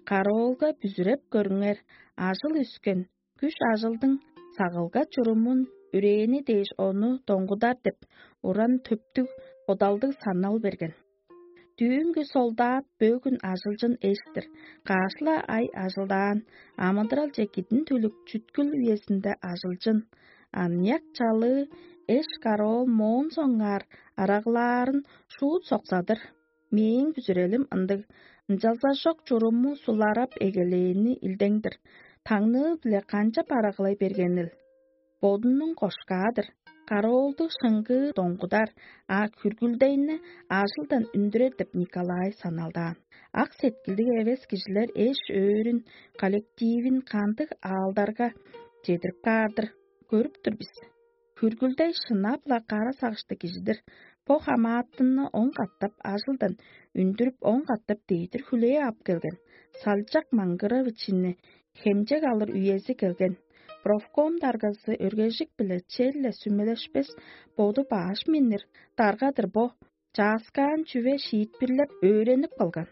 Караоолга бүзүреп көрүңер, ажыл үскен, күш-ажылдың сагылга чурумун үрээни дээш ону доңгудар деп, уран төптүг бодалдыг санал берген. Дүүнгү солдат бөгүн ажылчын эш-тир, каш-ла ай ажылдаан, амыдыралче кидин төлүк чүткүл үезинде ажылчын. Аныяк чалыы эш караоол моон соңгаар арагылаарын шуут соксадыр. Мээң бүзүрелим ындыг, ынчалза-шок чуруму суларап эгелээни илдең-дир. Таңныы-биле канчап арагылай бергенил? Бодунуң кошкаа-дыр. Караоолду шыңгыы доңгудар, а хүргүлдейни ажылдан үндүрер деп Николай саналдаан. Ак сеткилдиг эвес кижилер эш-өөрүн, коллективин кандыг аалдарга чедирип каар-дыр, көрүп тур бис. Хүргүлдей шынап-ла кара сагыштыг кижи-дир. Бо хамаатынны он катап ажылдан үндүрүп, он катап дедир хүлээп ап келген. Салчак Маңгыровичини хемчек алыр үези келген. Профком даргазы өргежик-биле черле сүмелешпес, боду баш миннир дарга-дыр бо. Чааскаан чүве шиитпирлеп өөренип калган.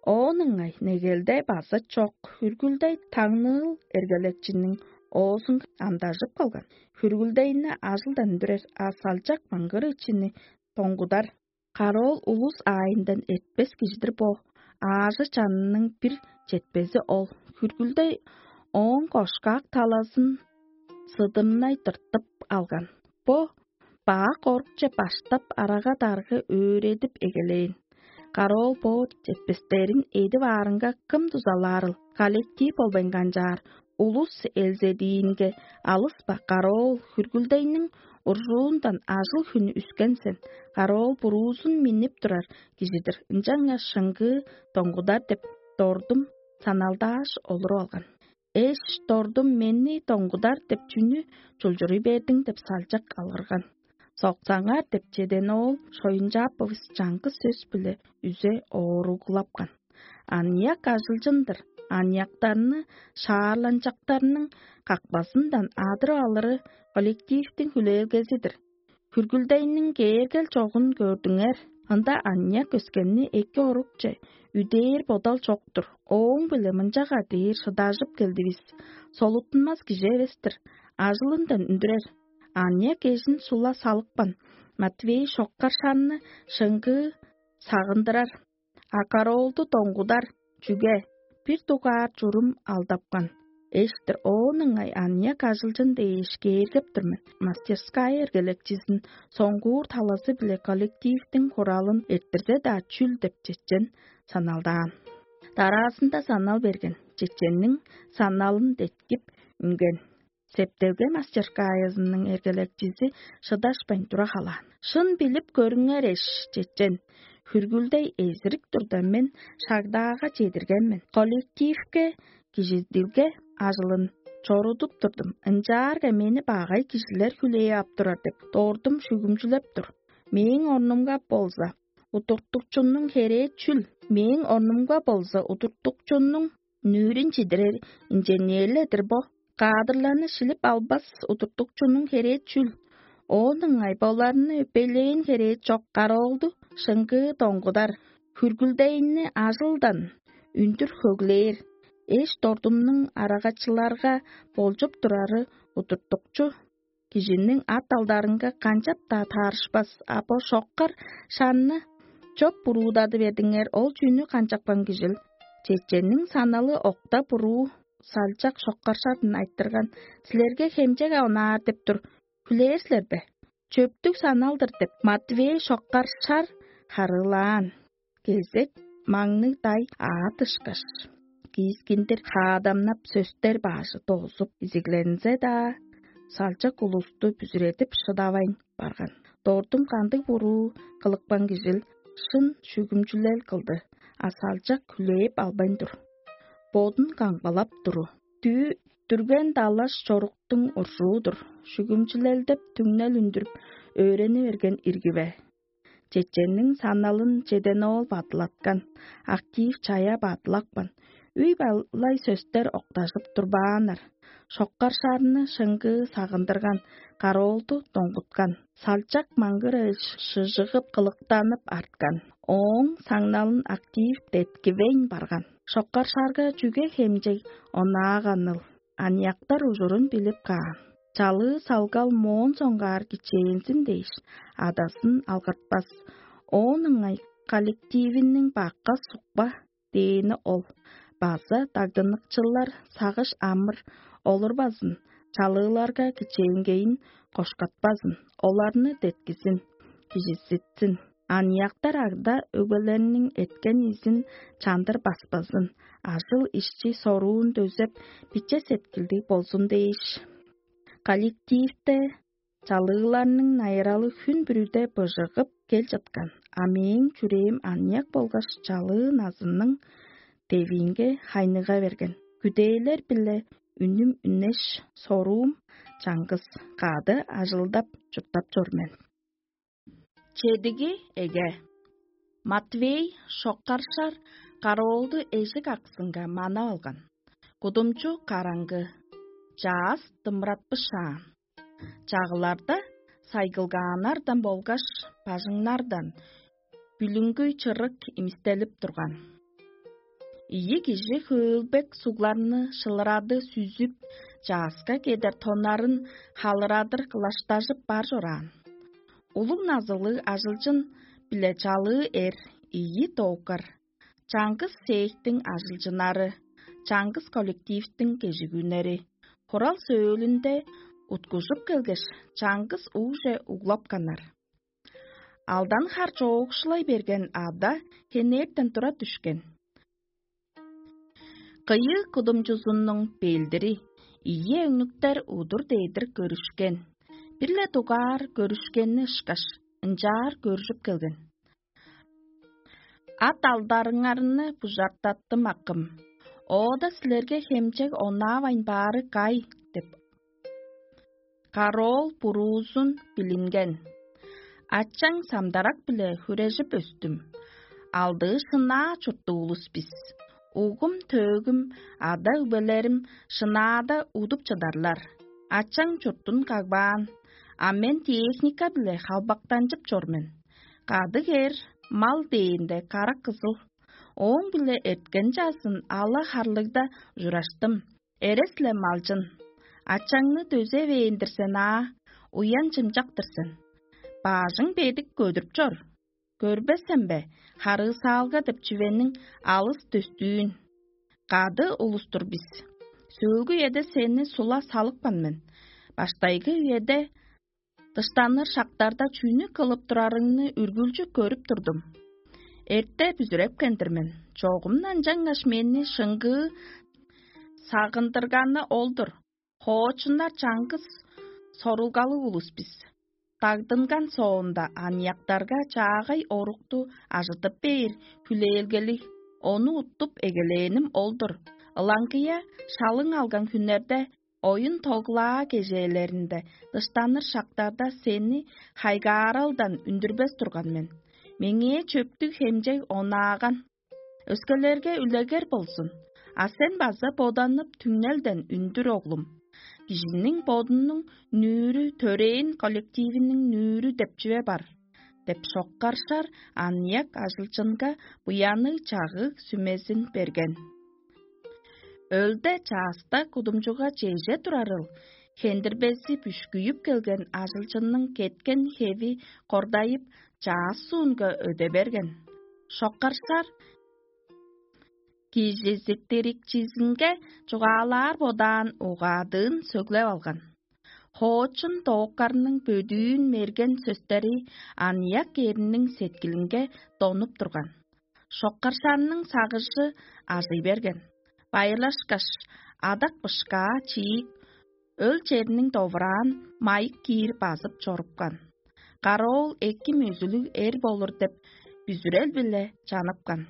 Оон ыңай негелде база чок, хүргүлдей таңныыл эргелекчиниң оозун амдажып калган. Хүргүлдейни ажылдан үндүрер, а салчак маңгыр ичини доңгудар. Кароол улус аайындан эртпес кижи-дир бо. Аажы чанының бир четпези ол. Хүргүлдей ооң кошкак талазын сыдымнай тыртып алган. Бо бак орукче баштап арага-даргы өөредип эгелээн. Кароол бо четпестерин эдип аарынга кым дузалаарыл? Коллектив болбайн канчаар, улус элзедиинге алыс-па, кароол, хүргүлдейниң уржуундан ажыл-хүнү үскен сен. Кароол буруузун миннип турар кижи-дир, ынчангаш шыңгыы доңгудар деп дордум саналдааш олуруп алган. Эш дордум менни доңгудар деп чүнү чулчуруй бердиң деп салчак алгырган. Соксаңар деп чеден оол Шоюнчааповус чаңгыс сөс-биле үзе ооруглапкан. Аныяк ажылчын-дыр, аныяктарны шаарланчактарның какпазындан адырып алыры коллективтиң хүлээлгези-дир. Хүргүлдейниң кээргел чогун көрдүңер, ында аныяк өскенни эки орукче үдээр бодал чок-тур. Ооң-биле мынчага дээр шыдажып келдивис: солуттунмас кижи эвес-тир, ажылындан үндүрер. Аныяк эжин сула салыпкан, Матвей шоккар шанны шыңгыы сагындырар, а кароолду доңгудар. Чүге? Бир дугаар чурум алдапкан. Эштир оон ыңай аныяк ажылчын дээш кээргеп тур мен. Мастерская эргелекчизин соңгуур талазы-биле коллективтиң хуралын эрттирзе-даа чүл деп чечен саналдаан. Дараазында санал берген. Чеченниң саналын деткип үнген. Септелге мастерскаязының эргелекчизи шыдашпайн тура халаан. Шын билип көрүңер эш, чечен. Хүргүлдей эзирик турда мен шагдаага чедирген мен. Коллективке кижидилге ажылын чорудуп турдум. Ынчаарга мени багай кижилер хүлээп ап турар деп дордум шүгүмчүлеп тур. Мээң орнумга болза, удуртукчунуң херээ чүл? Мээң орнумга болза, удуртукчунуң нүүрүн чидирер инженерледир бо. Каадырларны шилип албас удуртукчунуң херээ чүл? Оон ыңай боларны өпейлээн херээ чок, кароолду шыңгыы доңгудар, хүргүлдейни ажылдан үндүр хөглээр. Эш дордумнуң арагачыларга болчуп турары удуртукчу кижиниң ат-алдарынга канчап-даа таарышпас, а бо шоккар шанны чоп буруудады бердиңер, ол чүнү канчапкан кижил? Чеченниң саналы окта буруу салчак шоккаршадын айтырган: «Силерге хемчеге онаар деп тур, хүлээр силер бе?» «Чөптүг санал-дыр» деп, Матвей шоккаршар харыылаан. Кезек маңныг дай аат ышкаш, киискиндир хаадамнап сөстер баажы доозуп изиглензе-даа, салчак улусту бүзүредип шыдавайн барган. Дордум кандыг буруу кылыпкан кижил шын шүгүмчүлел кылды, а салчак хүлээп албайн тур. Бодун камгалап туру. Дү дүрген далаш чоруктуң уржуу-дур. Шүгүмчүлелдеп түңнел үндүрүп, өөрени берген ирги бе? Чеченниң саналын чеден оол бадылаткан, актив чая бадылапкан. Үй балай сөстер октажып турбааннар. Шоккаршарны шыңгыы сагындырган, кароолду доңгуткан. Салчак маңгыр шыжыгып кылыктанып арткан. Ооң саңналын актив деткивейн барган. Шоккаршарга чүге хемчег онааганыл? Аныяктар ужурун билип каан. Чалыы салгал моон соңгаар кичээнзин дээш, адасын алгыртпас. Оон ыңай коллективиниң бакка сукпа дээни ол. База дагдыныкчылар сагыш амыр олурбазын, чалыыларга кичээнгейин кошкатпазын, оларны деткизин, кижизитсин. Аныяктар ада өгбелерниң эткен изин чандыр баспазын, ажыл ишчи соруун дөзеп, биче сеткилдиг болзун дээш. Коллективте чалыыларның найыралы хүн бүрүде быжыгып кел чыткан, а мээң чүрээм аныяк болгаш чалыы назынның девиинге хайныга берген. Күдээлер-биле үнүм үнеш, соруум чаңгыс, кады ажылдап чурттап чор мен. Чедиги эге. Матвей шоккаршар кароолду эжик аксынга манап алган. Кудумчу караңгы. Чаас дымыратпышаан. Чагыларда сайгылгааннардан болгаш бажыңнардан бүлүңгү чырык имистелип турган. Ийи кижи хөөлбек сугларны шылырады сүзүп, чааска кедер тоннарын халырадыр кылаштажып бар чораан. Улуг назылыг ажылчын биле чалыы эр ийи дооккар, чаңгыс сээктиң ажылчыннары, чаңгыс коллективтиң кежигүннери, хурал сөөлүнде уткужуп келгеш, чаңгыс угже углапканнар. Алдан хар чоокшулай берген ада хенертен тура дүшкен. Кыйыы кудумчузунуң белдири ийи өңнүктер удур дедир көрүшкен. Бир-ле дугаар көрүшкенни ышкаш, ынчаар көржүп келген. Ат алдарыңарны бужартаттым, акым. Оода силерге хемчег онаавайн баары кай деп. Кароол буруузун билинген. Ачаң самдарак-биле хүрежип өстүм. Алдыы шынаа чурттуг улус бис. Угум-төөгүм, ада-өгбелерим шынаада удуп чыдарлар. Ачаң чуртун кагбаан, а мен техника-биле халбактанчып чор мен. Кадыг эр, мал дээнде карак кызыл. Ооң-биле эрткен чазын ала харлыгда ужураштым. Эрес-ле малчын. Ачаңны дөзевээн-дир сен аа, уян-чымчак-тыр сен. Баажың бедик көдүрүп чор. Көрбес сен бе, харыысаалга деп чүвениң алыс дөстүүн? Кады улус-тур бис. Сөөлгү үеде сени сула салыпкан мен. Баштайгы үеде дыштаныр шактарда чүнү кылып турарыңны үргүлчү көрүп турдум. Эрте бүзүрепкен-дир мен. Чогумдан чаңгаш мени шыңгыы сагындырганы ол-дур. Хоочуннар чаңгыс сорулгалыг улус бис. Дагдынган соонда аныяктарга чаагай орукту ажыдып бээр хүлээлгелиг, ону уттуп эгелээним ол-дур. Ылаңгыя шалың алган хүннерде, оюн-тоглаа кежээлеринде, дыштаныр шактарда сени хайгааралдан үндүрбес турган мен. Меңээ чөптүг хемчег онааган. Өскелерге үлегер болзун, а сен база боданып түңнелден үндүр, оглум. Кижиниң бодунуң нүүрү төрээн коллективиниң нүүрү деп чүве бар, деп шоккаршар аныяк ажылчынга буянныг чагыг сүмезин берген. Өлде чааста кудумчуга чеже турарыл, хендирбези бүшкүйүп келген ажылчынның кеткен хеви кордайып, чаас суунга өде берген. Шоккаршар кижизиттирикчизинге чугаалаар бодаан угаадыын сөглеп алган. Хоочун дооккарның бөдүүн мерген сөстери аныяк эрниң сеткилинге донуп турган. Шоккаршанның сагыжы ажый берген. Байырлашкаш, адак бышкаа чиик, өл черниң довураан майык киир базып чорупкан. Кароол эки мөзүлүг эр болур деп бүзүрел-биле чаныпкан.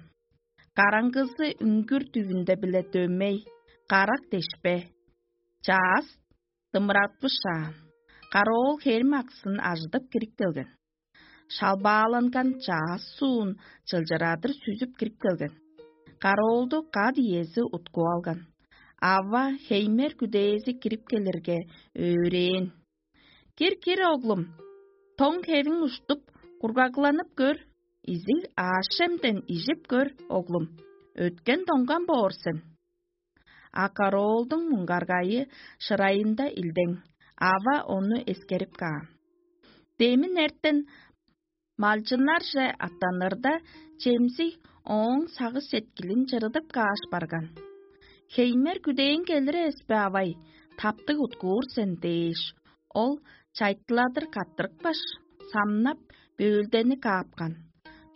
Караңгызы үңгүр дүвүнде-биле дөмей, карак дешпе. Чаас дымыратпышаан. Кароол херим аксын ажыдып кирип келген. Шалбааланган чаас суун чылчырадыр сүзүп кирип келген. Кароолду кат иези уткуп алган. Ава хеймер күдээзи кирип келирге, өөрээн: «Кир, кир, оглум, тоң хевиң уштуп, кургагланып көр, изиг аъш-чемден ижип көр, оглум, өткен доңган боор сен». А кароолдуң муңгаргайы шырайында илдең, ава ону эскерип каан. Демин эртен малчыннарже аттанырда, чемзиг ооң сагыш-сеткилин чырыдып кааш барган. «Хеймер күдээң келир эвес бе, авай, таптыг уткуур сен» – дээш, ол чайтыладыр каттырыпкаш, самнап, бөөлдени каапкан.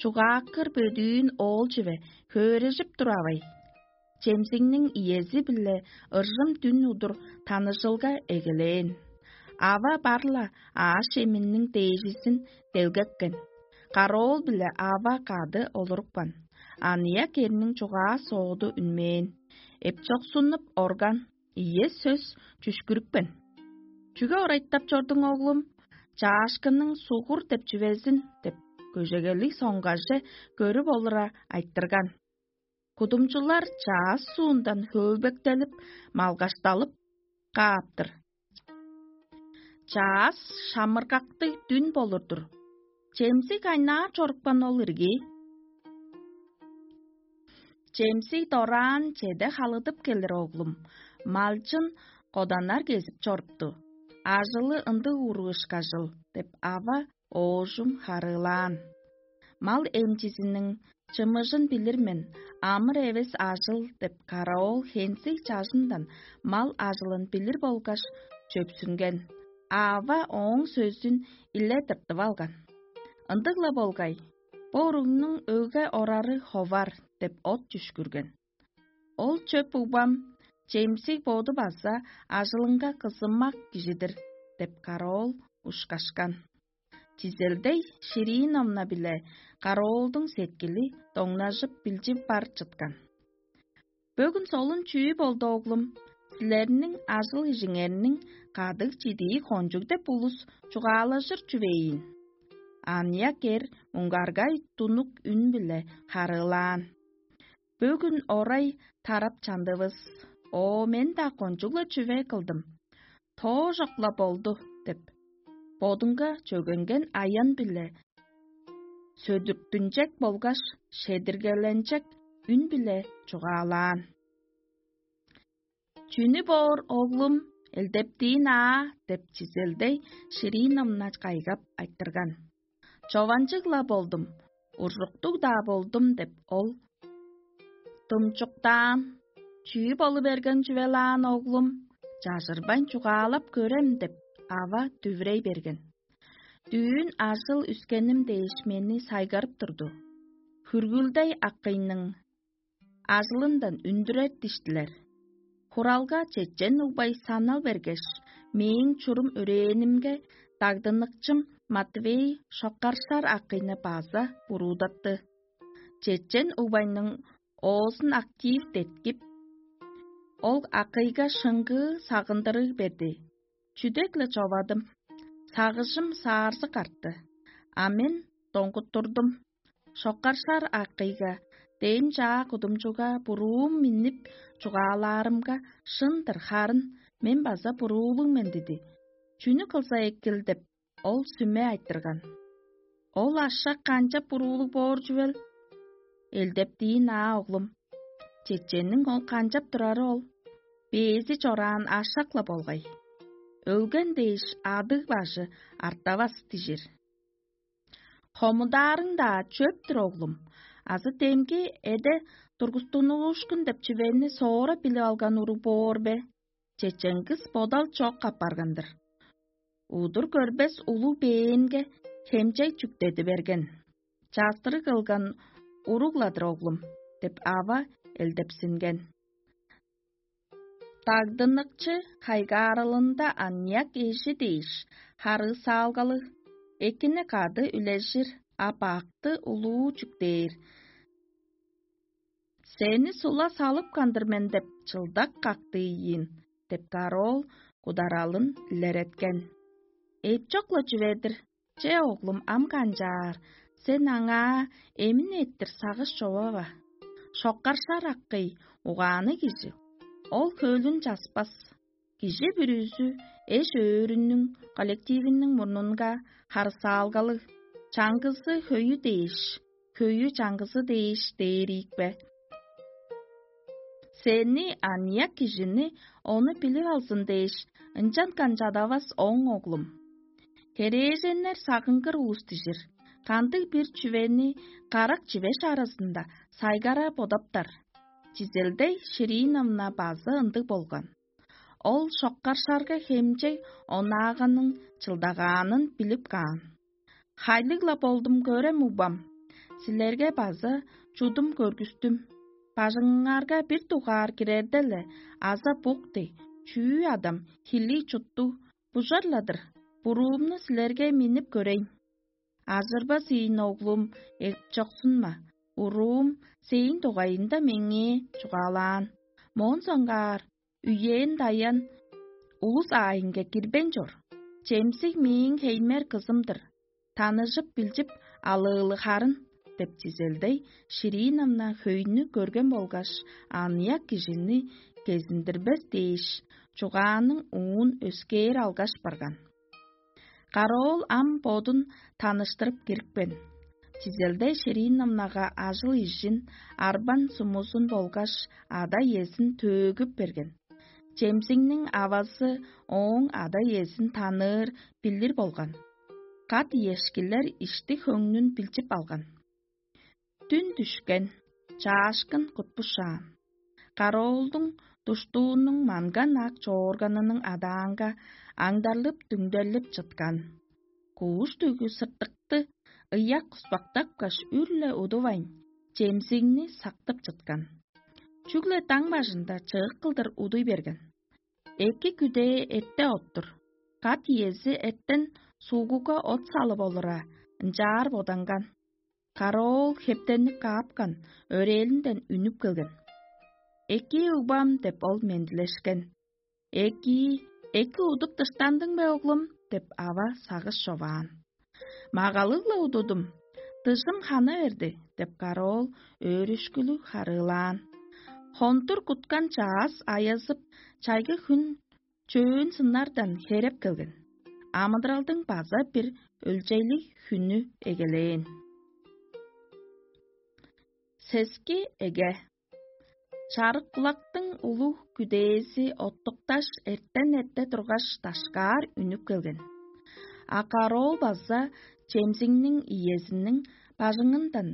Чугааккыр бөдүүн оол чүве хөөрежип тур, авай. Чемзигниң иези-биле ыржым дүн удур таныжылга эгелээн. Ава бар-ла аъш-чеминиң дээжизин делгеткен. Кароол биле ава кады олурупкан. Аныяк эрниң чугаа-сооду үнмээн. Эпчоксунуп орган, ийе сөс чүшкүрүпкен. «Чүге орайтап чордуң, оглум? Чаашкынның сугур деп чүвезин» – деп, көжегелиг соңгаже көрүп олура айтырган. Кудумчулар чаас суундан хөөлбектелип, малгашталып, кааптыр. Чаас шамыргактыг дүн болур-дур. Чемзи кайнаар чорупкан ол ирги? Чемзи дораан чеде халыдып келир, оглум. Малчын коданнар кезип чорупту. Ажылы ындыг уруу ышкажыл деп, ава оожум харыылаан. Мал эмчизиниң чымыжын билир мен, амыр эвес ажыл деп, караоол хензиг чажындан мал ажылын билир болгаш чөпсүнген. Ава ооң сөзүн иле тыртып алган. Ындыг-ла болгай, бо уругнуң өгге орары ховар деп от чүшкүрген. Ол чөп угбам, чемсиг боду база ажылынга кызымак кижи-дир деп, караоол ушкашкан. Чизелдей Шириновна-биле караоолдуң сеткили доңнажып билчип бар чыткан. Бөгүн солун чүү болду, оглум? Силерниң ажыл-ижиңерниң кадыг чидии кончуг деп улус чугаалажыр чүвейин. Аныяк эр муңгаргай тунук үн-биле харыылаан. Бөгүн орай тарап чандывыс. О, мен-даа кончуг-ла чүве кылдым. Тоожок-ла болду деп, бодунга чөгенген аян-биле сөдүртүнчек болгаш шедиргеленчек үн-биле чугаалаан. Чүнү боор, оглум, элдептиин аа деп, чизелдей Шириновна кайгап айтырган. Чованчыг-ла болдум, уржуктуг-даа болдум деп, ол думчуктаан. Чүү болу берген чүвелаан, оглум? Чажырбайн чугаалап көрем деп, ава дүвүрей берген. Дүүн ажыл үскеним дээш мени сайгарып турду. Хүргүлдей акыйның ажылындан үндүрер диштилер. Хуралга чечен угбай санал бергеш, мээң чурум өрээнимге дагдыныкчым Матвей шоккаршар акыйны база буруудатты. Чечен угбайның оозун актив деткип, ол акыйга шыңгыы сагындырыг берди. Чүдек-ле човадым. Сагыжым саарзы картты. А мен доңгуттурдум. Шоккаршар акыйга, дээн чаа кудумчуга буруум миннип чугаалаарымга, шын-дыр, харын мен база буруулуг мен диди. Чүнү кылза экил деп, ол сүме айтырган. Ол ашак канчап буруулуг боор чүвел? Элдептиин аа, оглум. Чеченниң ол канчап турары ол? Бээзи чораан ашак-ла болгай. Өлген дээш адыг-бажы артавас дижир. Хомудаарың-даа чөп-түр, оглум. Азы демги эде тургустунуушкун деп чүвени соора билип алган уруг боор бе? Чеченгис бодал чок апарган-дыр. Удур көрбес улуг бээнге хемчей чүктеди берген. Частырыг кылган уруг-ла-дыр, оглум, деп ава элдепсинген. Дагдыныкчы хайгаарылында аныяк эжи дээш харыысаалгалыг, экини кады үлежир, а бакты улуу чүктээр. Сени сула салыпкан-дыр мен деп чылдак кактыйын, деп караоол кударалын илереткен. Эпчок-ла чүве-дир, че, оглум, ам канчаар, сен аңаа эмин эттир сагыш човава. Шоккаршар акый, угаанныг кижи, ол хөлүн часпас. Кижи бүрүзү эш-өөрүнүң коллективиниң мурнунга харысаалгалыг, чаңгызы хөйү дээш, хөйү чаңгызы дээш дээр ийикпе? Сени аныяк кижини ону билип алзын дээш, ынчан канчадавас оң, оглум. Херээженнер сагынгыр улус дижир, кандыг-бир чүвени карак чивеш аразында сайгара бодаптар. Чизелдей Шириновна база ындыг болган. Ол шоккаршарга хемчег онааганның чылдагаанын билип каан. Хайлыг-ла болдум, көрем, угбам. Силерге база чудум көргүстүм. Бажыңыңарга бир дугаар кирерде-ле аза бук дег, чүү адам хилий чуттуг, бужар-ла-дыр, буруумну силерге миннип көрейн. Ажырбас ийин, оглум, эпчоксунма, уруум сээң дугайында меңээ чугаалаан. Моон соңгаар үен-даян улус аайынга кирбейн чор. Чемсиг мээң хеймер кызым-дыр. Таныжып-билчип алыылы харын, деп чизелдей Шириновна хөйнү көрген болгаш, аныяк кижини кезиндирбес дээш, чугааның уун өскээр алгаш барган. Караоол ам бодун таныштырып кирипкен. Чизелде Шириновнага ажыл-ижин, арбан-сумузун болгаш ада-иезин төөгүп берген. Чемзиңниң авазы ооң ада-иезин таныыр, билир болган. Кат-иешкилер ишти-хөңнүн билчип алган. Дүн дүшкен, чаашкын кутпушаан. Караоолдуң душтуунуң манган ак чоорганының адаанга аңдарлып-дүңдерлип чыткан. Кууш-дүгү сыртыкты ыяк куспактапкаш, үр-ле удувайн, чемзиңни сактып чыткан. Чүгле даң бажында чыык кылдыр удуй берген. Эки күдээ эрте оттур. Кат иези эртен суугуга от салып олура, ынчаар боданган. Караоол хептенип каапкан, өрээлинден үнүп келген. «Эки, угбам» — деп ол мендилешкен. «Эки, эки удуп дыштандың бе, оглум?» — деп ава сагыш човаан. «Магалыг-ла удудум, дыжым хана берди» — деп караоол өөрүшкүлүг харыылаан. Хондур куткан чаас аязып, чайгы хүн чөөн сыннардан хереп келген. Амыдыралдың база бир өлчейлиг хүнү эгелээн. Сески эге. Чарык-кулактың улуг күдээзи оттукташ, эртен эрте тургаш, дашкаар үнүп келген. А караоол база чемзиңниң иезиниң бажыңындан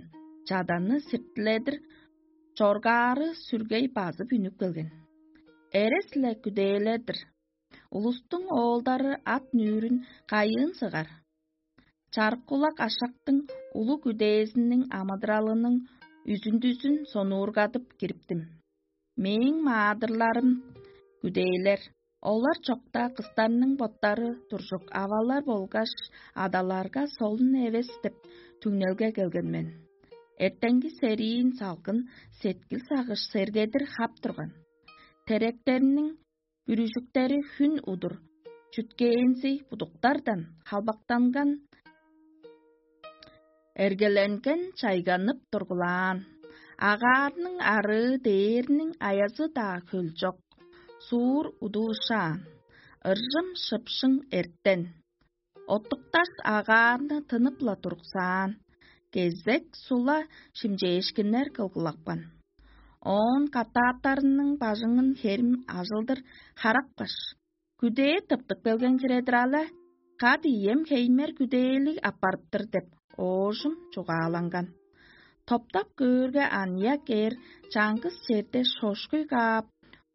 чаданы сиртиледир чоргаары сүргей базып үнүп келген. Эрес-ле күдээлер-дир. Улустуң оолдары ат нүүрүн кайыын сыгар? Чарык-кулак ашактың улуг күдээзиниң амыдыралының үзүндүзүн сонуургадып кириптим. Мээң маадырларым күдээлер, олар чокта кыстарның боттары туржук авалар болгаш адаларга солун эвес деп түңнелге келген мен. Эртеңги сериин салгын сеткил сагыш сергедир хап турган. Теректерниң бүрүжүктери хүн удур чүткээнзи будуктардан халбактанган, эргеленген чайганып тургулаан. Агаарның арыы дээрниң аязы-даа хөлчок, суур удуушаан, ыржым шыпшың эртен. Оттукташ агаарны тынып-ла туруксаан, кезек сула шимчээшкиннер кылгылапкан. Оон катааттарының бажыңын херим ажылдыр харапкаш, күдээ тыптып келген хире-дир але, кады ием хеймер күдээлиг аппарыптыр деп, оожум чугааланган. Топтап көөрге, аныяк эр чаңгыс черде шошкуй каап,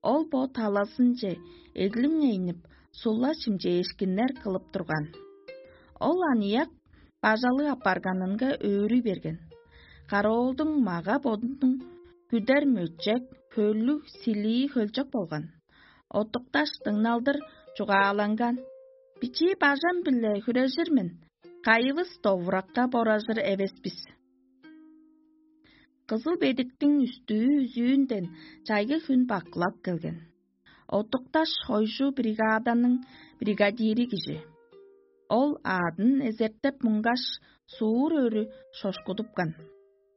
ол бо талазынче эглиңейнип, сула чимчээшкиннер кылып турган. Ол аныяк бажалыг апарганынга өөрүй берген. Караоолдуң мага-бодунуң күдер мөчек, хөллүг, силии хөлчок болган. Оттукташ дыңналдыр чугааланган: «Бичии бажам-биле хүрежир мен, кайывыс довуракка боражыр эвес бис». Кызыл бедиктиң үстүү-үзүүнден чайгы хүн бакылап келген. Оттукташ хойжу бригаданың бригадири кижи. Ол аадын эзертеп муңгаш, суур өрү шошкудупкан.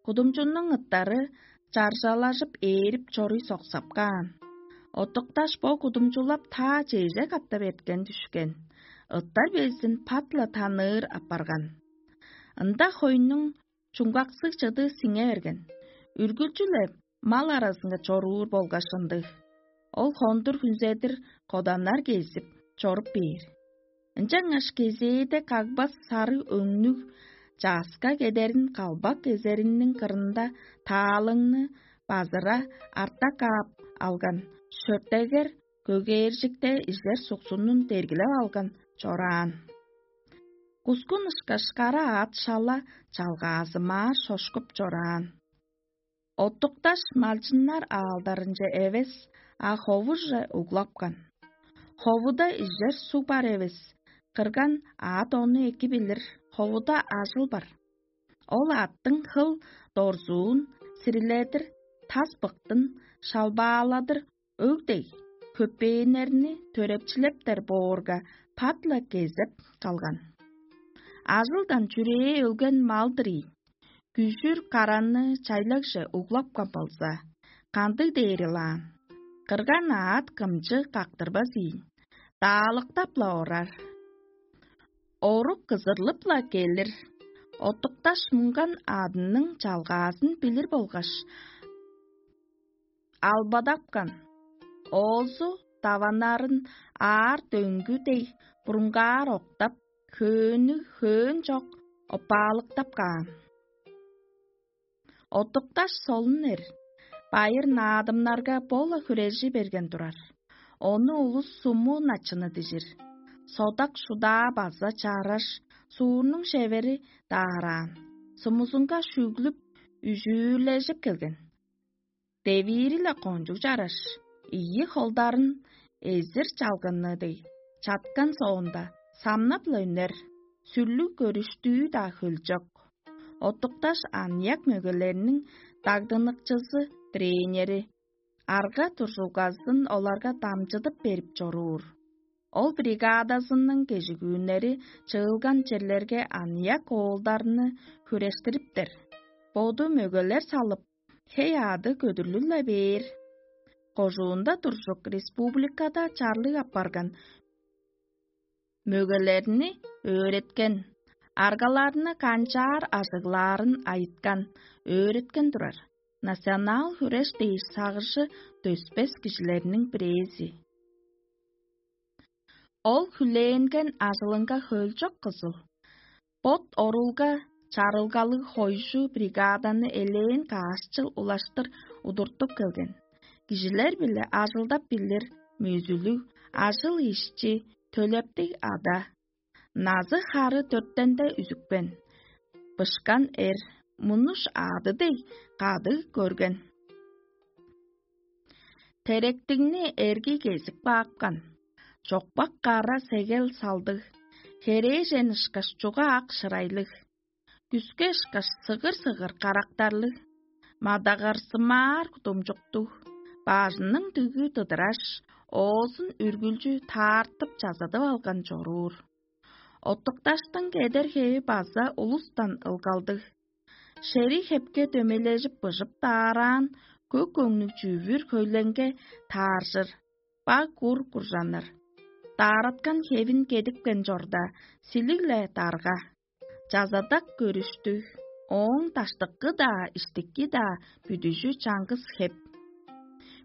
Кудумчунуң ыттары чаржалажып ээрип чоруй соксап каан. Оттукташ бо кудумчулап таа чеже катап эрткен дүшкен. Ыттар безин пат-ла таныыр апарган. Ында хойнуң чуңгаксыг чыды сиңе берген. Үргүлчү-ле мал аразынга чоруур болгаш ындыг. Ол хондур хүнзедир коданнар кезип, чоруп бээр. Ынчангаш кезээде кагбас сары өңнүг чааска кедерин калбак кезериниң кырында таалыңны базыра арта каап алган, шөртегер көгээржикте ижер суксунун дергилеп алган чораан. Кускун ышкаш кара аът шала чалгаазымаар шошкуп чораан. Оттукташ малчыннар аалдарынче эвес, а ховуже углапкан. Ховуда ижер суг бар эвес, кырган аът ону эки билир, ховуда ажыл бар. Ол аъттың хыл дорзуун сириледир, тас быктын шалбааладыр өг дег, көпээннерни төрепчилептер боорга, пат-ла кезеп калган. Ажылдан чүрээ өлген мал-дыр ийин. Күжүр караны чайлагже углапкан болза, кандыг дээр ылаан? Кырган аът кымчы кактырбас ийин, даалыктап-ла орар. Орук кызырлып-ла келир. Оттукташ муңган адының чалгаазын билир болгаш, албадапкан. Оозу даваннарын аар дөңгү дег бурунгаар октап, хөөнү хөөн чок опаалыктап каан. Оттукташ солун эр, байыр наадымнарга бо-ла хүрежи берген турар. Ону улус суму начыны дижир. Содак шудаа база чараш, суурнуң шевери даараан, сумузунга шүглүп, үжүүрлежип келген. Девиири-ле кончуг чараш, ийи холдарын эзир чалгынны дег чаткан соонда, самнап-ла үнер, сүрлүг көрүштүү-даа хөлчок. Оттукташ аныяк мөгелерниң дагдыныкчызы, тренери, арга туржулгазын оларга дамчыдып берип чоруур. Ол бригадазының кежигүүннери чыылган черлерге аныяк оолдарны хүрештириптер. Боду мөгелер салып, хей-аъды көдүрлүг-ле бээр. Кожуунда туржук республикада чарлыг апарган мөгелерни өөреткен, аргаларны канчаар ажыглаарын айыткан, өөреткен турар. Национал хүреш дээш сагыжы дөспес кижилерниң бирээзи. Ол хүлээнген ажылынга хөлчок кызыл, бот орулга чарылгалыг хойжу бригаданы элээн каашчыл улаштыр удуртуп келген. Кижилер-биле ажылдап билир, мөзүлүг, ажыл-ишчи, төлептиг ада. Назы-хары дөртенде үзүкпен. Бышкан эр, мунуш аъды дег кады көрген. Теректигни эрги кезип каапкан. Чокпак кара сегел салдыг, херээжен ышкаш чуга ак шырайлыг, күске ышкаш сыгыр-сыгыр карактарлыг, мадагарсымаар кудумчуктуг, бажының дүгү дыдыраш, оозун үргүлчү таартып чазыдып алган чоруур. Оттукташтың кедер хеви база улустан ылгалдыг. Шери хепке дөмейлежип быжып даараан көк өңнүг чүвүр хөйленге тааржыр, баг кур куржаныр. Даараткан хевин кедипкен чорда, силиг-ле дарга, чазадак көрүштүг, ооң даштыкы-даа, иштики-даа бүдүжү чаңгыс хеп.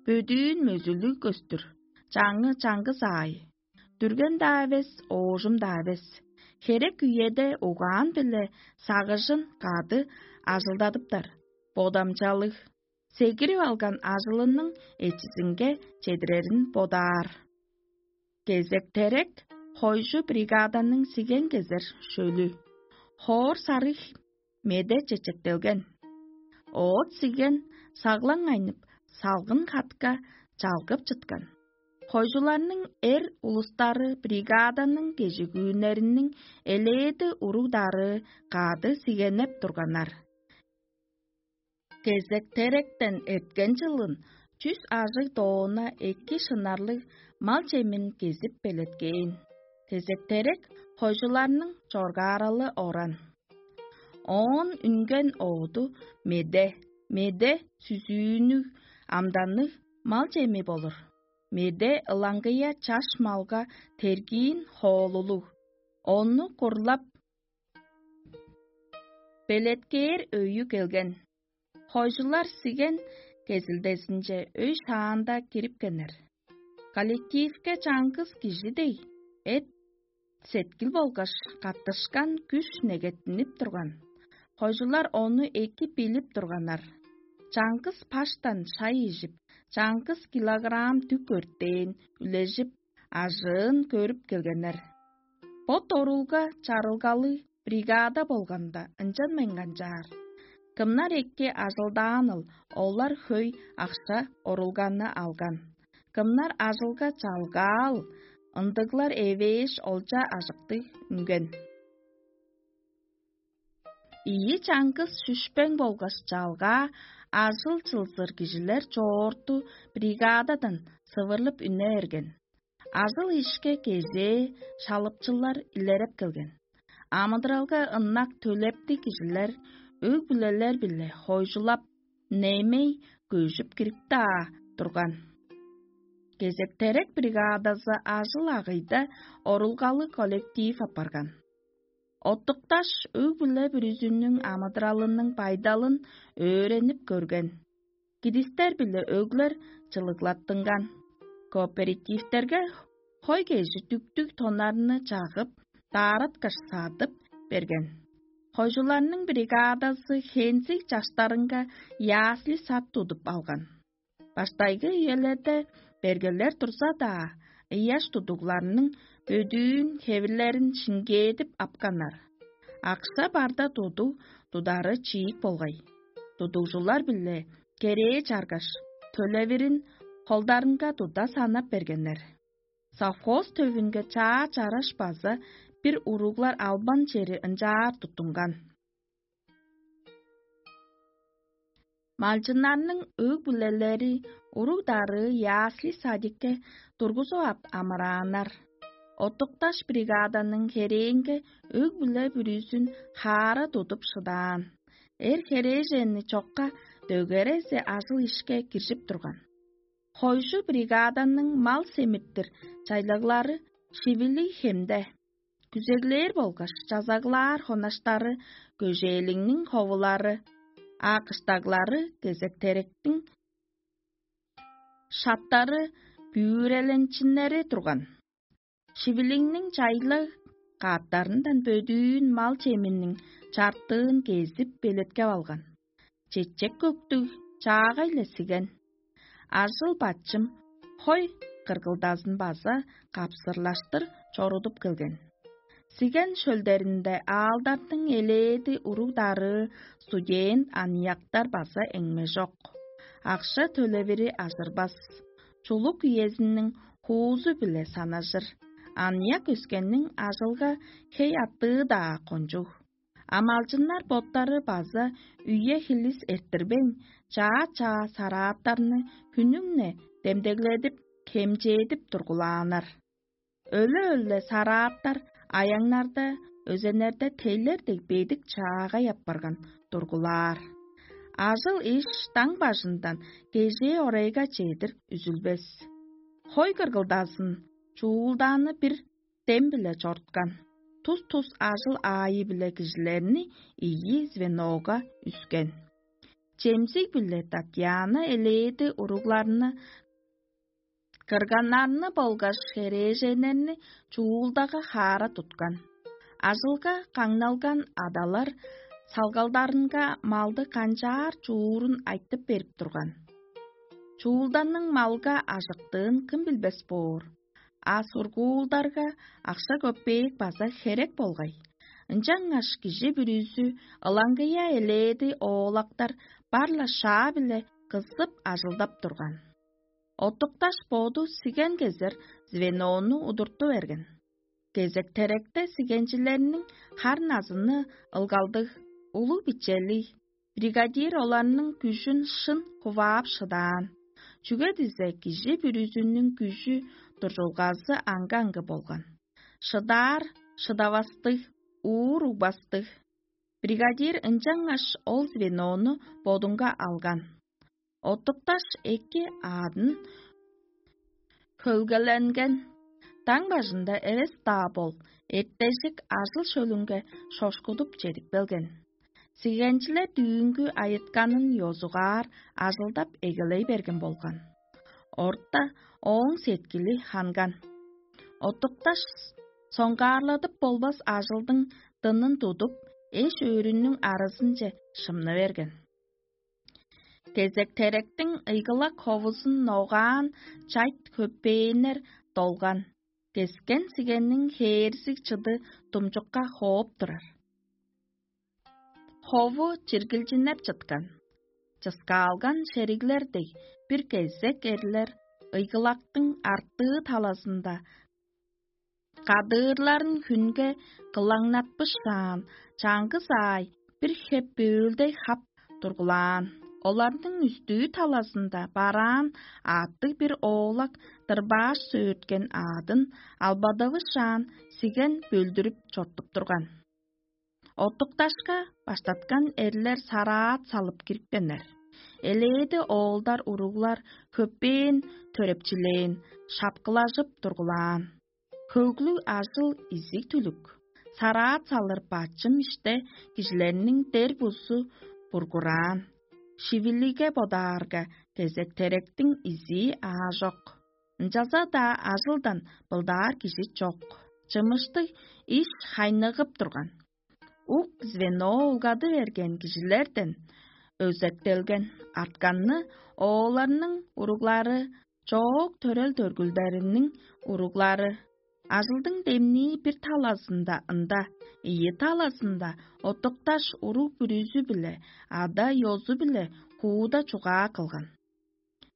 Бөдүүн мөзүлүг көстүр, чаңы чаңгыс аай. Дүрген-даа эвес, оожум-даа эвес. Херек үеде угаан-биле сагыжын кады ажылдадыптар. Бодамчалыг, сегирип алган ажылының эчизинге чедирерин бодаар. Кезек-терек хойжу бригаданың сиген кезер шөлү. Хоор сарыг меде чечектелген. Оът сиген саглаң айнып, салгын хатка чалгып чыткан. Хойжуларның эр улустары бригаданың кежигүүннериниң элээди уруг-дарыы кады сигенеп турганнар. Кезек-теректен эрткен чылын чүс ажыг доона эки шынарлыг мал чемин кезип белеткээн. Кезек-терек хойжуларның чоргааралы оран. Оон үнген ооду меде, меде сүзүүнүг, амданныг мал чеми болур. Меде ылаңгыя чаш малга тергиин хоолулуг, ону курлап белеткээр өйү келген. Хойжулар сиген кезилдезинче өй шаанда кирипкеннер. Коллективке чаңгыс кижи дег эт-сеткил болгаш каттышкан күш негеттинип турган. Хойжулар ону эки билип турганнар. Чаңгыс паштан шай ижип, чаңгыс килограмм дүк өртээн үлежип, ажыын көрүп келгеннер. Бо дорулга чарылгалыг бригада болганда, ынчан мен канчаар. Кымнар эки ажылдааныл, олар хөй акша орулганны алган. Кымнар ажылга чалгаал, ындыглар эвээш олча ажыктыг үнген. Ийи чаңгыс шүшпең болгаш чалгаа ажыл чылзыр кижилер чоорту бригададан сывырлып үне берген. Ажыл-ишке кезээ шалыпчылар илереп келген. Амыдыралга ынак төлептиг кижилер өг-бүлелер-биле хойжулап, немей көжүп кирип-даа турган. Кезек-терек бригадазы ажыл-агыйда орулгалы коллектив апарган. Оттукташ өг-бүле бүрүзүнүң амыдыралының байдалын өөренип көрген. Кидистер биле өглер чылыглаттынган. Кооперативтерге хой кежи дүктүг тоннарны чагып, даараткаш садып берген. Хойжуларның бригадазы хензиг чаштарынга ясли сат тудуп алган. Баштайгы үелерде бергелер турза-даа, ыяш тудугларның бөдүүн хевирлерин шиңгээдип апканнар. Акша барда туду тудары чиик болгай. Тудугжулар биле керээ чаргаш, төлевирин холдарынга туда санап бергеннер. Совхоз төвүнге чаа чараш база бир уруглар албан чери ынчаар туттунган. Малчыннарның өг-бүлелери уруг-дарыы ясли-садикке тургузуп ап амырааннар. Оттукташ бригаданың херээнге өг-бүле бүрүзүн хаара тудуп шыдаан. Эр херээженни чокка дөгерезе ажыл-ишке киржип турган. Хойжу бригаданың мал семиртир чайлаглары Шивилиг хемде. Күзеглээр болгаш чазаглаар хонаштары көжээлиңниң ховулары, а кыштаглары кезектеректиң шаптары бүүреленчиннери турган. Шивилиңниң чайлыг кааттарындан бөдүүн мал чеминниң чартыын кезип белеткеп алган. Чечек көктүг чаагай-ла сиген. Ажыл-бачым хой кыргылдазын база капсырлаштыр чорудуп келген. Сиген шөлдеринде аалдартың элээди уруг-дарыы студент аныяктар база эңмежок. Акша төлевири ажырбас. Чулук үезиниң хуузу-биле санажыр. Аныяк өскенниң ажылга хей аттыы-даа кончуг. Амалчыннар боттары база үе-хилис эрттирбейн, чаа-чаа сарааттарны хүннүң-не демдегледип, хемчээдип тургулааннар. Өле-өле сарааттар аяңнарда, өзеннерде тейлер дег бедик чаагай апарган тургулаар. Ажыл-иш даң бажындан кежээ орайга чедир үзүлбес. Хой кыргылдазын чуулдааны бир дем-биле чоруткан. Тус-тус ажыл аайы-биле кижилерни ийи звенога үскен. Чемзиг-биле Татьяна элээди уругларны, кырганнарны болгаш херээженнерни чуулдага хаара туткан. Ажылга каңналган адалар салгалдарынга малды канчаар чуурун айтып берип турган. Чуулданның малга ажыктыын кым билбес боор? А сургуулдарга акша-көпеек база херек болгай. Ынчангаш кижи бүрүзү ылаңгыя элээди оолактар бар-ла шаа-биле кызып ажылдап турган. Оттукташ боду сиген кезер звенону удурту берген. Кезек-теректе сигенчилерниң хар-назыны ылгалдыг, улуг-бичелиг, бригадир оларның күжүн шын хуваап шыдаан. Чүге дизе кижи бүрүзүнүң күжү, дуржулгазы аңгы-аңгы болган. Шыдаар, шыдавастыг, уур угбастыг. Бригадир ынчангаш ол звенону бодунга алган. Оттукташ эки аадын хөлгеленген. Даң бажында эвес-даа бол, эртежик ажыл шөлүнге шошкудуп чедип келген. Сигенчилер дүүнгү айытканын ёзугаар ажылдап эгелей берген болган. Орта ооң сеткили ханган. Оттукташ соңгаарладып болбас ажылдың дынын тудуп, эш-өөрүнүң аразынче шымны берген. Кезек-теректиң ыйгылак ховузун ногаан чайт хөпээннер долган, кескен сигенниң хээрзиг чыды думчукка хооп турар. Хову чиргилчиннеп чыткан. Чыскаалган шериглер дег бир кезек эрлер ыйгылактың артыы талазында кадыырларын хүнге кылаңнатпышаан, чаңгыс аай бир хеп бөөлдей хап тургулаан. Оларның үстүү талазында бараан аъттыг бир оолак дырбааш сөөрткен аадын албадавышаан сиген бөлдүрүп чорттуп турган. Оттукташка баштаткан эрлер сараат салып кирипкеннер. Элээди оолдар, уруглар хөппээн төрепчилээн, шапкылажып тургулаан. Хөглүг ажыл изиг-түлүк, сараат салыр бачым иште кижилерниң дер бузу бургураан. Шивилиге бодаарга, кезек-теректиң изии аажок. Ынчалза-даа ажылдан былдаар кижи чок. Чымыштыг иш хайныгып турган. Ук звено улгады берген кижилерден өзектелген артканны ооларның уруглары, чоок төрел-төргүлдериниң уруглары, ажылдың демнии бир талазында ында, ийи талазында оттукташ уруг бүрүзү-биле, ада-ёзу-биле хууда чугаа кылган.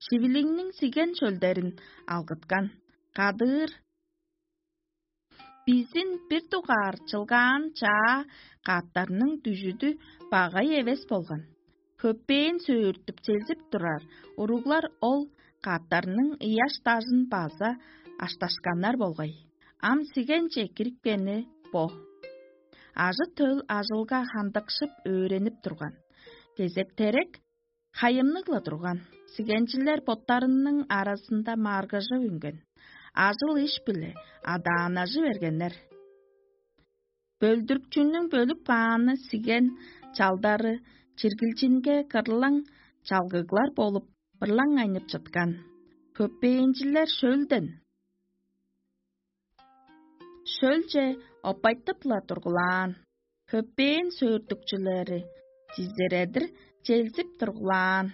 Шивилиңниң сиген шөлдерин алгыткан, кадыыр бизин бир дугаар чылгаан чаа каъттарның дүжүдү багай эвес болган. Хөппээн сөөртүп челзип турар уруглар ол каъттарның ыяш-дажын база ашташканнар болгай. Ам сигенче кирипкени бо. Ажы-төл ажылга хандыкшып өөренип турган. Кезек-терек хайымныг-ла турган. Сигенчилер боттарының аразында маргыжып үнген. Ажыл-иш-биле адаанажы бергеннер. Бөлдүрүкчүнүң бөлүп кааны сиген чалдары чиргилчинге кырлаң чалгыглар болуп, бырлаң айнып чыткан. Хөпээнчилер шөлден шөлче оппайтып-ла тургулаан. Хөпээн сөөртүкчүлери чизередир челзип тургулаан.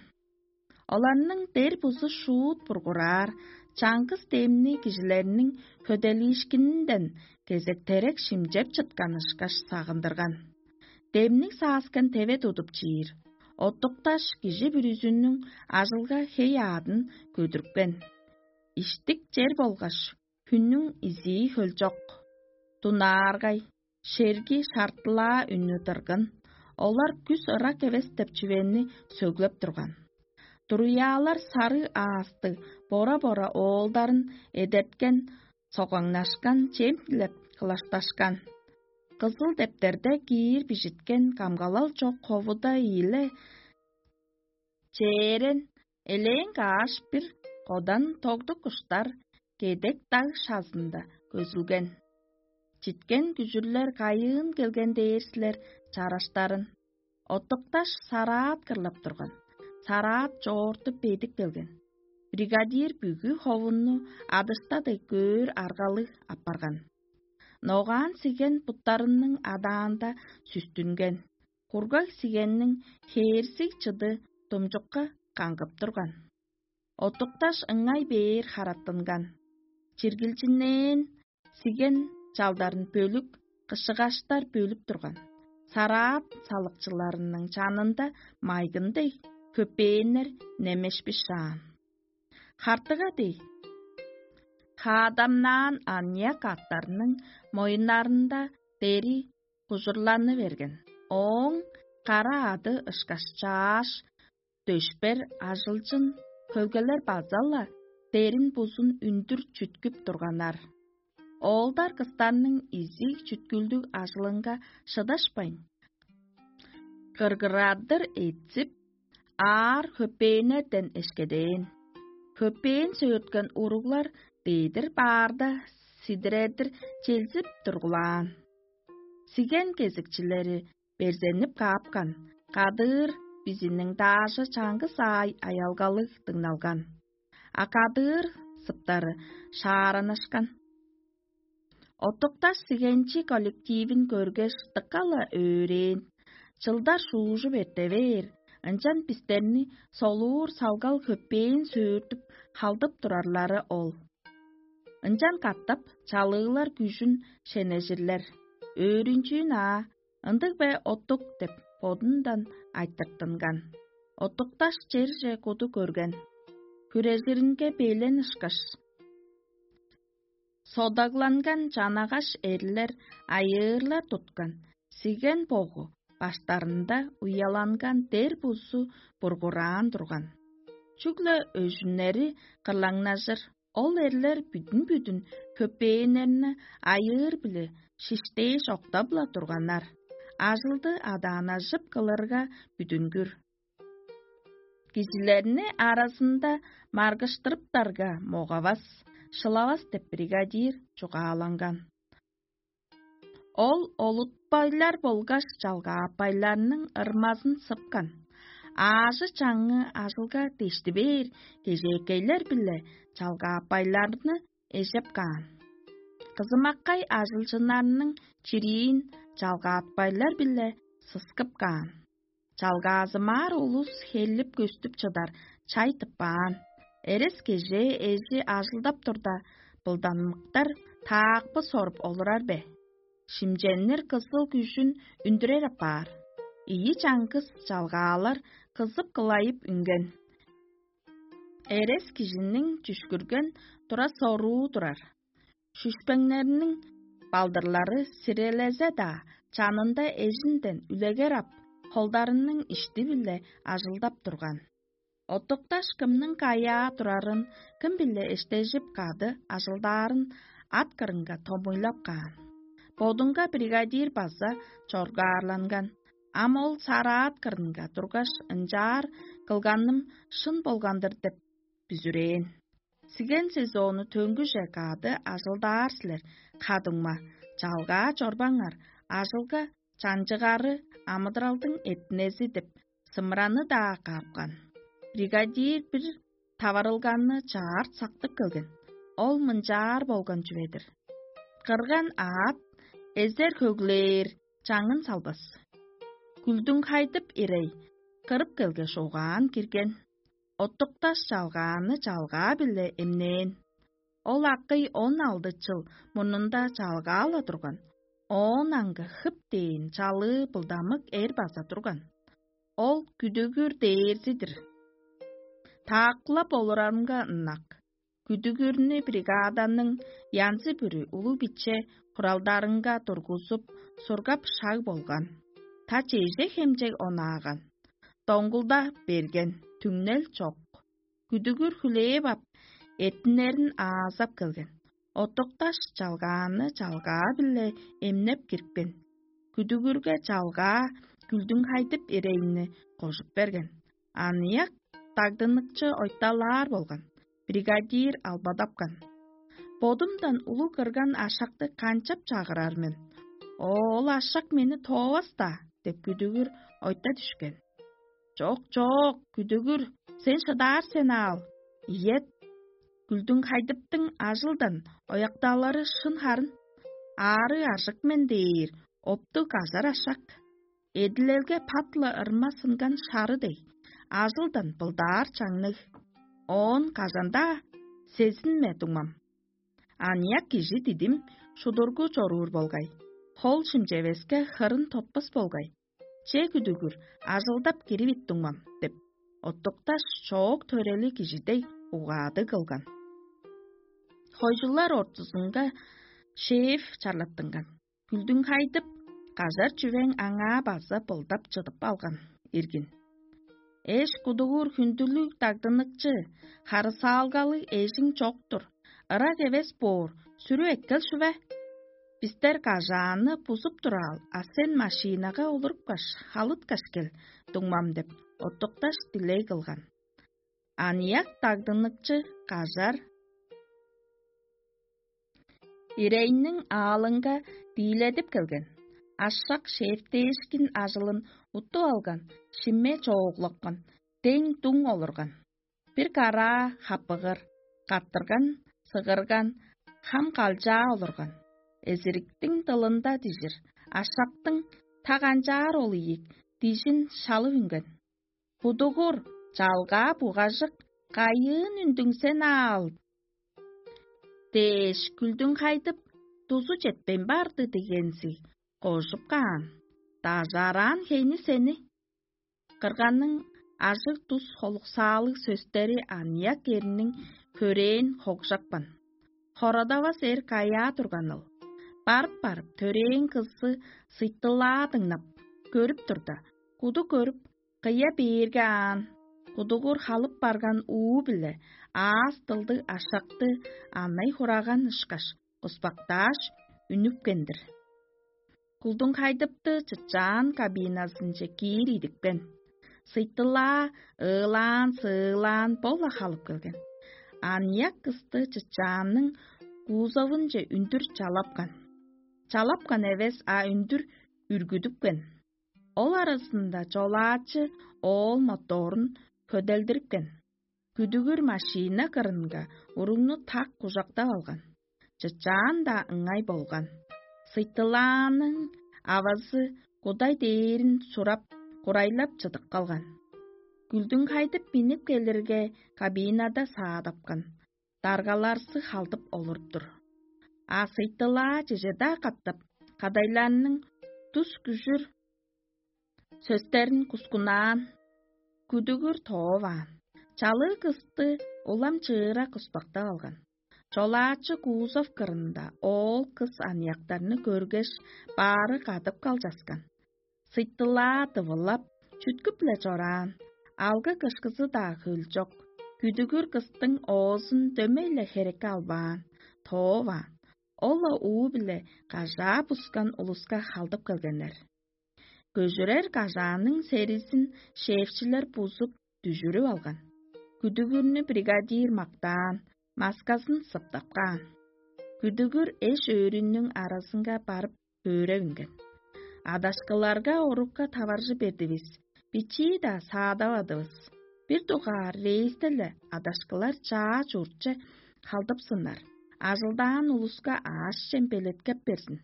Оларның дер бузу шуут бургураар, чаңгыс демни кижилерниң хөделиишкининден кезек-терек шимчеп чыткан ышкаш сагындырган. Демниг сааскан теве тудуп чиир, оттукташ кижи бүрүзүнүң ажылга хей-аадын көдүрүпкен. Иштик чер болгаш хүннүң изии хөлчок. Дунааргай, шерги шартылаа үнү дыргын, олар күс ырак эвес деп чүвени сөглеп турган. Дуруяалар сарыг аастыг бора-бора оолдарын эдерткен, согаңнашкан, чем дилеп кылашташкан. Кызыл дептерде киир бижиткен камгалал чок ховуда ийиле чээрен, элээн кааш бир кодан тогдук куштар кедек даг шазында көзүлген. Читкен күжүрлер кайыын келген дээр силер чараштарын. Оттукташ сараат кырлап турган. Сараат чоорту бедик келген. Бригадир бүгү ховунну адышта дег көөр аргалыг апарган. Ногаан сиген буттарының адаанда сүстүнген. Кургаг сигенниң хээрзиг чыды думчукка каңгып турган. Оттукташ ыңай бээр хараттынган. Чиргилчиннээн сиген чалдарын бөлүк, кышыгаштар бөлүп турган. Сараат салыкчыларының чанында майгын дег хөпээннер немешпишаан. Хартыга дег, хаадамнаан аныяк аттарның моюннарында дери кужурланы берген. Ооң кара ады ышкаш чааш дөшпер ажылчын хөлгелер база-ла дерин бузун үндүр чүткүп турганнар. Оолдар кыстарның изиг чүткүлдүг ажылынга шыдашпайн, кыргырадыр эдзип, аар хөпээннерден эшкедээн. Хөпээн сөөрткен уруглар дедир баарда сидиредир челзип тургулаан. Сиген кезикчилери берзенип каапкан, кадыыр бизиниң даажы чаңгыс аай аялгалыг дыңналган, а кадыыр сыптары шааранышкан. Оттукташ сигенчи коллективин көргеш, дыка-ла өөрээн. Чылдар шуужуп эрте бээр, ынчан бистерни солуур салгал хөпээн сөөртүп халдып турарлары ол. Ынчан катап чалыылар күжүн шенежирлер. Өөрүнчүүн аа, ындыг бе оттук деп бодундан айтыртынган. Оттукташ черже куду көрген. Хүрежиринге белен ышкаш, содагланган чанагаш эрлер айыырлар туткан, сиген богу баштарында уяланган дер бузу бургураан турган. Чүгле өжүннери кырлаңнажыр, ол эрлер бүдүн-бүдүн хөпээннерни айыыр-биле шиштээш октап-ла турганнар. Ажылды адаанажып кылырга бүдүнгүр. Кижилерни аразында маргыштырыптарга, могавас, шылавас деп бригадир чугааланган. Ол олутпайлар болгаш чалгааппайларның ырмазын сыпкан. Аажы-чаңы ажылга дешти бээр кежээкейлер-биле чалгааппайларны эжеп каан. Кызымаккай ажылчыннарның чириин чалгаатпайлар-биле сыскып каан. Чалгаазымаар улус хеллип-көстүп чыдар чай тыппаан. Эрес-кежээ эжи ажылдап турда, былданмыктар таакпы соруп олурар бе? Шимченнер кызыл күжүн үндүрер апаар. Ийи чаңгыс чалгаалар кызып-кылайып үнген. Эрес кижиниң чүшкүрген тура-соруу турар. Шүшпеңнерниң балдырлары сирелезе-даа, чанында эжинден үлегер ап, холдарының ишти-биле ажылдап турган. Оттукташ кымның каяа турарын, кым-биле эштежип кады ажылдаарын ат кырынга томуйлап каан. Бодунга бригадир база чоргаарланган. Ам ол сараат кырынга тургаш, ынчаар кылганым шын болган-дыр деп бүзүрээн. Сиген сезону төнгүже кады ажылдаар силер, ха-дуңма, чалгаа чорбаңар, ажылга чанчыгары амыдыралдың эртинези деп сымыраны-даа каапкан. Бригадир бир таварылганны чаарт сактып келген. Ол мынчаар болган чүве-дир: кырган аът эзер хөглээр, чаңын салбас. Күлдүң хайдып ирей, кырып келгеш, угаан кирген. Оттукташ чалгааны чалгаа-биле эмнээн. Ол акый он алды чыл мурнунда чалгаа-ла турган. Оон аңгы хып дээн чалыы былдамык эр база турган. Ол күдүгүр дээрзи-дир. Тааккылап олурарынга ынак. Күдүгүрнү бригаданың янзы-бүрү улуг-биче хуралдарынга тургузуп, сургап шаг болган. Та чеже хемчег онааган. Доңгулда берген, түңнел чок. Күдүгүр хүлээп ап, эттиннерин аазап келген. Оттукташ чалгааны чалгаа-биле эмнеп кирипкен. Күдүгүрге чалгаа күлдүң хайдып ирейни кожуп берген. Аныяк дагдыныкчы ойталаар болган. Бригадир албадапкан. Бодумдан улуг кырган ашакты канчап чагырар мен? Ол ашак мени тоовас-даа деп күдүгүр ойта дүшкен. Чок, чок, күдүгүр, сен шыдаар сен аал. Ийет, күлдүң хайдыптың ажылдан ояктаалары шын харын. Аарыг ажык мен дээр оптуг ажар ашак. Эдилелге пат-ла ырма сынган шары дег, ажылдан былдаар чаңныг. Оон кажан-даа сезинме дуңмам. Аныяк кижи дидим шудургу чоруур болгай. Хол шимчевеске хырын тотпас болгай. Че күдүгүр, ажылдап киривит дуңмам деп, оттукташ чоок төрели кижи дег угаады кылган. Хойжулар ортузунга шеф чарлаттынган. Күлдүң хайдып, кажар чүвең аңаа база былдап чыдып алган иргин. Эш кудугуур хүндүлүг дагдыныкчы, харысаалгалыг эжиң чок-тур, ырак эвес боор, сүрү эккел шүве? Бистер кажаанны бузуп тураал, а сен машинага олурупкаш, халыткаш кел, дуңмам деп, оттукташ дилей кылган. Аныяк дагдыныкчы кажар ирейниң аалынга дииледип келген. Ашак шээптээшкин ажылын уттуп алган, шимме чооглапкан, дең дуң олурган. Бир караа хапыгыр, каттырган, сыгырган, хам калчаа олурган. Эзириктиң дылында дижир, ашактың та канчаар ол ийик дижин шалып үнген. Будугур, чалгаа бугажык, кайыын үндүңсен аал? Дээш, күлдүң хайдып, дузу четпейн барды дегензи, кожуп каан. Дажаараан хейни сени. Кырганның ажыг тус холуксаалыг сөстери аныяк эрниң хөрээн хогжапкан. Хорадавас эр каяа турганыл. Барып-барып, төрээн кызы сыйтылаа дыңнап, көрүп турда, куду көрүп, кыя бээрге аан, кудугур халып барган уу-биле аас дылдыг ашакты анай хураган ышкаш, куспактааш, үнүпкен-дир. Кулдуң хайдыпты чычаан кабиназынче киир идипкен. Сыйтылаа ыылаан-сыылаан бо-ла халып келген. Аныяк кысты чычаанның кузовунче үндүр чалапкан. Чалапкан эвес, а үндүр үргүдүпкен. Ол аразында чолаачы оол моторун хөделдирипкен. Күдүгүр машина кырынга уругну так кужактап алган. Чычаан-даа ыңай болган. Сыйтылааның авазы кудай дээрин сурап, курайлап чыдып калган. Күлдүң хайдып минип келирге, кабинада саадапкан. Даргаларсы халдып олуруп-тур. А сыйтылаа чеже-даа катап, кадайларның тус күжүр сөстерин кускунаан, күдүгүр тооваан. Чалыы кысты улам чыыра куспактап алган. Чолаачы кузов кырында оол кыс аныяктарны көргеш, баары кадып калчаскан. Сыйттылаа дывылап, чүткүп-ле чораан, алгы-кышкызы-даа хөлчок. Күдүгүр кыстың оозун дөмей-ле херекке албаан, тооваан. Ол-ла уу-биле кажаа бускан улуска халдып келгеннер. Көжүрер кажааның серизин шефчилер бузуп дүжүрүп алган. Күдүгүрнү бригадир мактаан, маскасын сыптап каан. Күдүгүр эш-өөрүнүң аразынга барып өөреп үнген. Адашкыларга орукка таваржы бердивис, бичии-даа саадавадывыс. Бир дугаар рейсте-ле адашкылар чаа чуртче халдыпсыннар, ажылдаан улуска аъш-чем белеткеп берзин.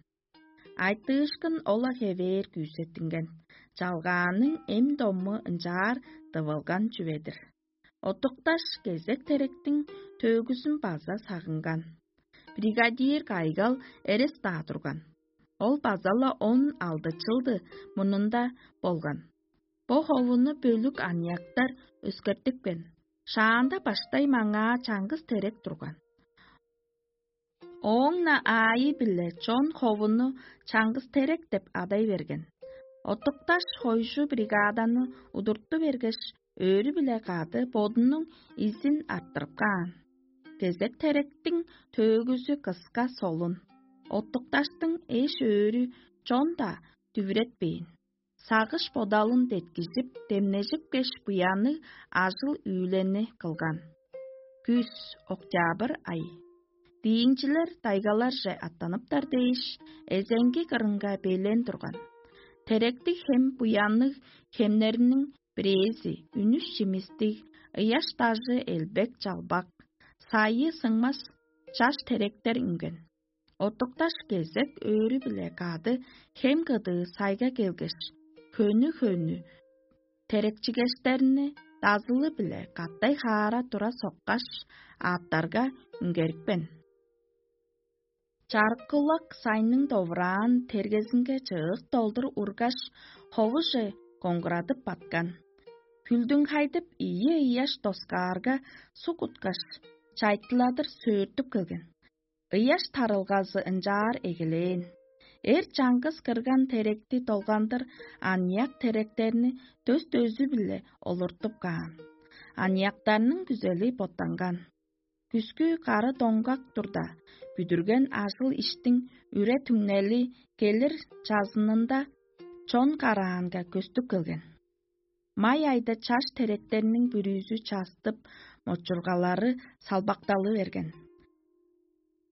Айтыышкын ол-ла хевээр күүсеттинген, чалгааның эм-дому ынчаар дывылган чүве-дир. Оттукташ кезек теректиң төөгүзүн база сагынган. Бригадир кайгал эрес-даа турган. Ол база-ла он алды чылды мурнунда болган. Бо ховуну бөлүк аныяктар өскертипкен. Шаанда баштай маңаа чаңгыс терек турган. Ооң-на аайы-биле чон ховуну чаңгыс терек деп адай берген. Оттукташ хойжу бригаданы удурту бергеш, өөрү-биле кады бодунуң изин арттырып каан. Кезек теректиң төөгүзү кыска солун. Оттукташтың эш-өөрү чон-даа дүвүретпээн. Сагыш-бодалын деткижип, демнежипкеш, буянныг ажыл-үүлени кылган. Күс, октябрь ай. Диинчилер тайгаларже аттаныптар дээш, эзеңги кырынга белен турган. Теректиг хем буянныг хемнерниң бирээзи, үнүш чимистиг, ыяш дажы элбек-чалбак, сайы сыңмас чаш теректер үнген. Оттукташ кезек өөрү-биле кады хем кыдыы сайга келгеш, хөнү-хөнү терекчигештерни дазылы-биле катай хаара тура соккаш, аъттарга үнгерипкен. Чарыккулак сайның довураан тергезинге чыык долдур ургаш, ховуже коңгурадып баткан. Хүлдүң хайдып ийи ыяш доскаарга суг уткаш, чайтыладыр сөөртүп келген. Ыяш тарылгазы ынчаар эгелээн. Эр чаңгыс кырган теректи долгандыр аныяк теректерни дөс-дөзү-биле олуртуп каан. Аныяктарның күзели боттанган. Күскү кары доңгак турда, бүдүрген ажыл-иштиң үре-түңнели келир чазынында чон караанга көстүп келген. Май айда чаш теректерниң бүрүзү частып, мочургалары салбакталы берген.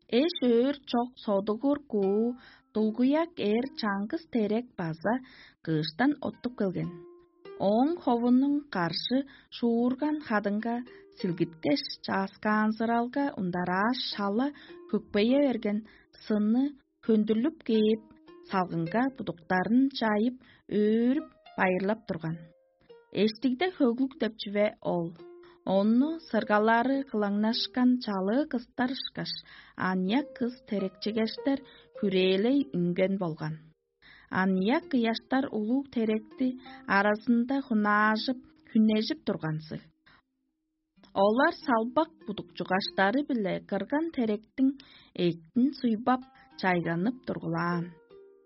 Эш-өөр чок содугур куу дулгуяк эр чаңгыс терек база кыыштан оттуп келген. Ооң ховунуң каржы шуурган хадыңга силгиткеш, чааскаанзыралга ундарааш, шала хөкпее берген сынны хөндүрлүп кээп, салгынга будуктарын чайып, өөрүп, байырлап турган. Эштигде хөглүг деп чүве ол. Ону сыргалары кылаңнашкан чалыы кыстар ышкаш, аныяк кыс терекчигештер хүрээлей үнген болган. Аныяк ыяштар улуг теректи аразында хунаажып, хүннежип турганзыг. Олар салбак будукчугаштары-биле кырган теректиң эъттин суйбап, чайганып тургулаан.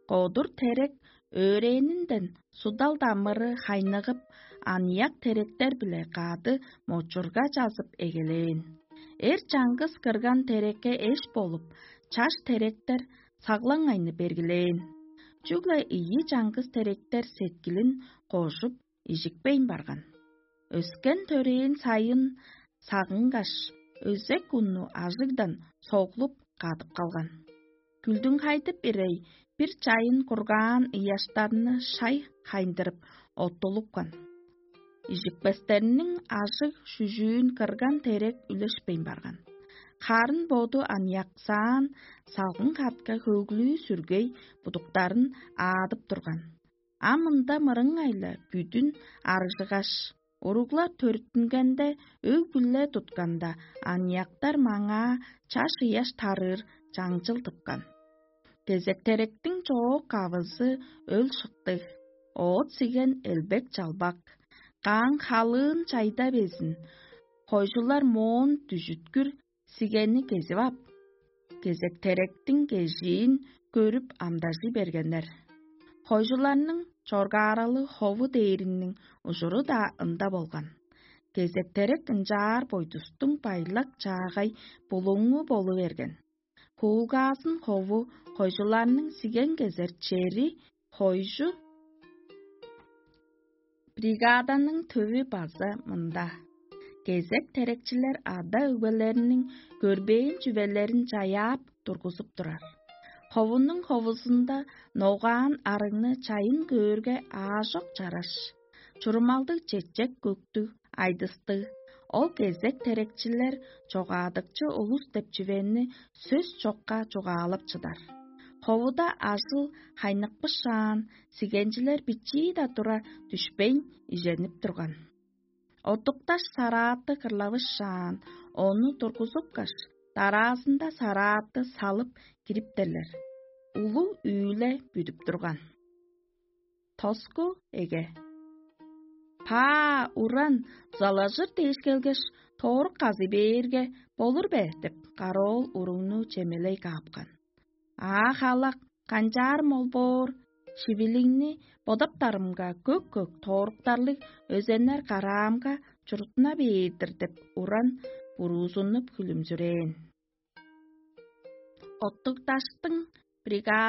Кодур терек өөрээнинден судал дамыры хайныгып, аныяк теректер-биле кады мочурга чазып эгелээн. Эр чаңгыс кырган терекке эш болуп, чаш теректер саглаңайны бергилээн. Чүгле ийи чаңгыс теректер сеткилин кожуп, ижикпейн барган. Өскен төрээн сайын сагынгаш, өзек унну ажыгдан соглуп кадып калган. Күлдүңхайдып ирей бир чайын кургаан ыяштарны шай хайындырып оттулупкан. Ижикпестерниң ажыг-шүжүүн кырган терек үлешпейн барган. Харын боду аныяксаан салгын катка хөглүү-сүргей будуктарын аадып турган. А мында мырыңай-ла бүдүн арыжыгаш, уруглар төрүттүнгенде, өг-бүле тутканда, аныяктар маңаа чаш ыяш тарыыр чаңчыл тыпкан. Кезектеректиң чоок кавызы өл шыктыг, оът сиген элбек-чалбак, каң халыын чайда безин, хойжулар моон дүжүткүр сигенни кезип ап, кезектеректиң кежиин көрүп амдажый бергеннер. Хойжуларның чоргааралы хову дээриниң ужуру-даа ында болган. Кезектерек ынчаар бойдустуң байлак чаагай булуңу болу берген. Хуулгаазын хову хойжуларның сиген кезер чери хойжу бригаданың төвү база мында. Кезек терекчилер ада-өгбелериниң көрбээн чүвелерин чаяап тургузуп турар. Ховунуң ховузунда ногаан арыгны чайын көөрге аажок чараш. Чурумалдыг чечек көктүг, айдыстыг, ол кезек терекчилер чогаадыкчы улус деп чүвени сөс чокка чугаалап чыдар. Ховуда ажыл хайныкпышаан, сигенчилер бичии-даа тура дүшпейн иженип турган. Оттукташ сарааты кырлавышаан, ону тургузупкаш, дараазында сарааты салып кириптерлер. Улуг үүле бүдүп турган. Тоску эге. Паа, уран, залажыр дээш келгеш, тоорук казый бээрге, болур бе деп, кароол уругну чемелей каапкан. Аа, халак, канчаар мол боор, шивилиңни бодаптарымга көк-көк тооруктарлыг өзеннер караамга чуртуна бээр-дир деп, уран буруузунуп хүлүмзүрээн. Оттуг даштың бригада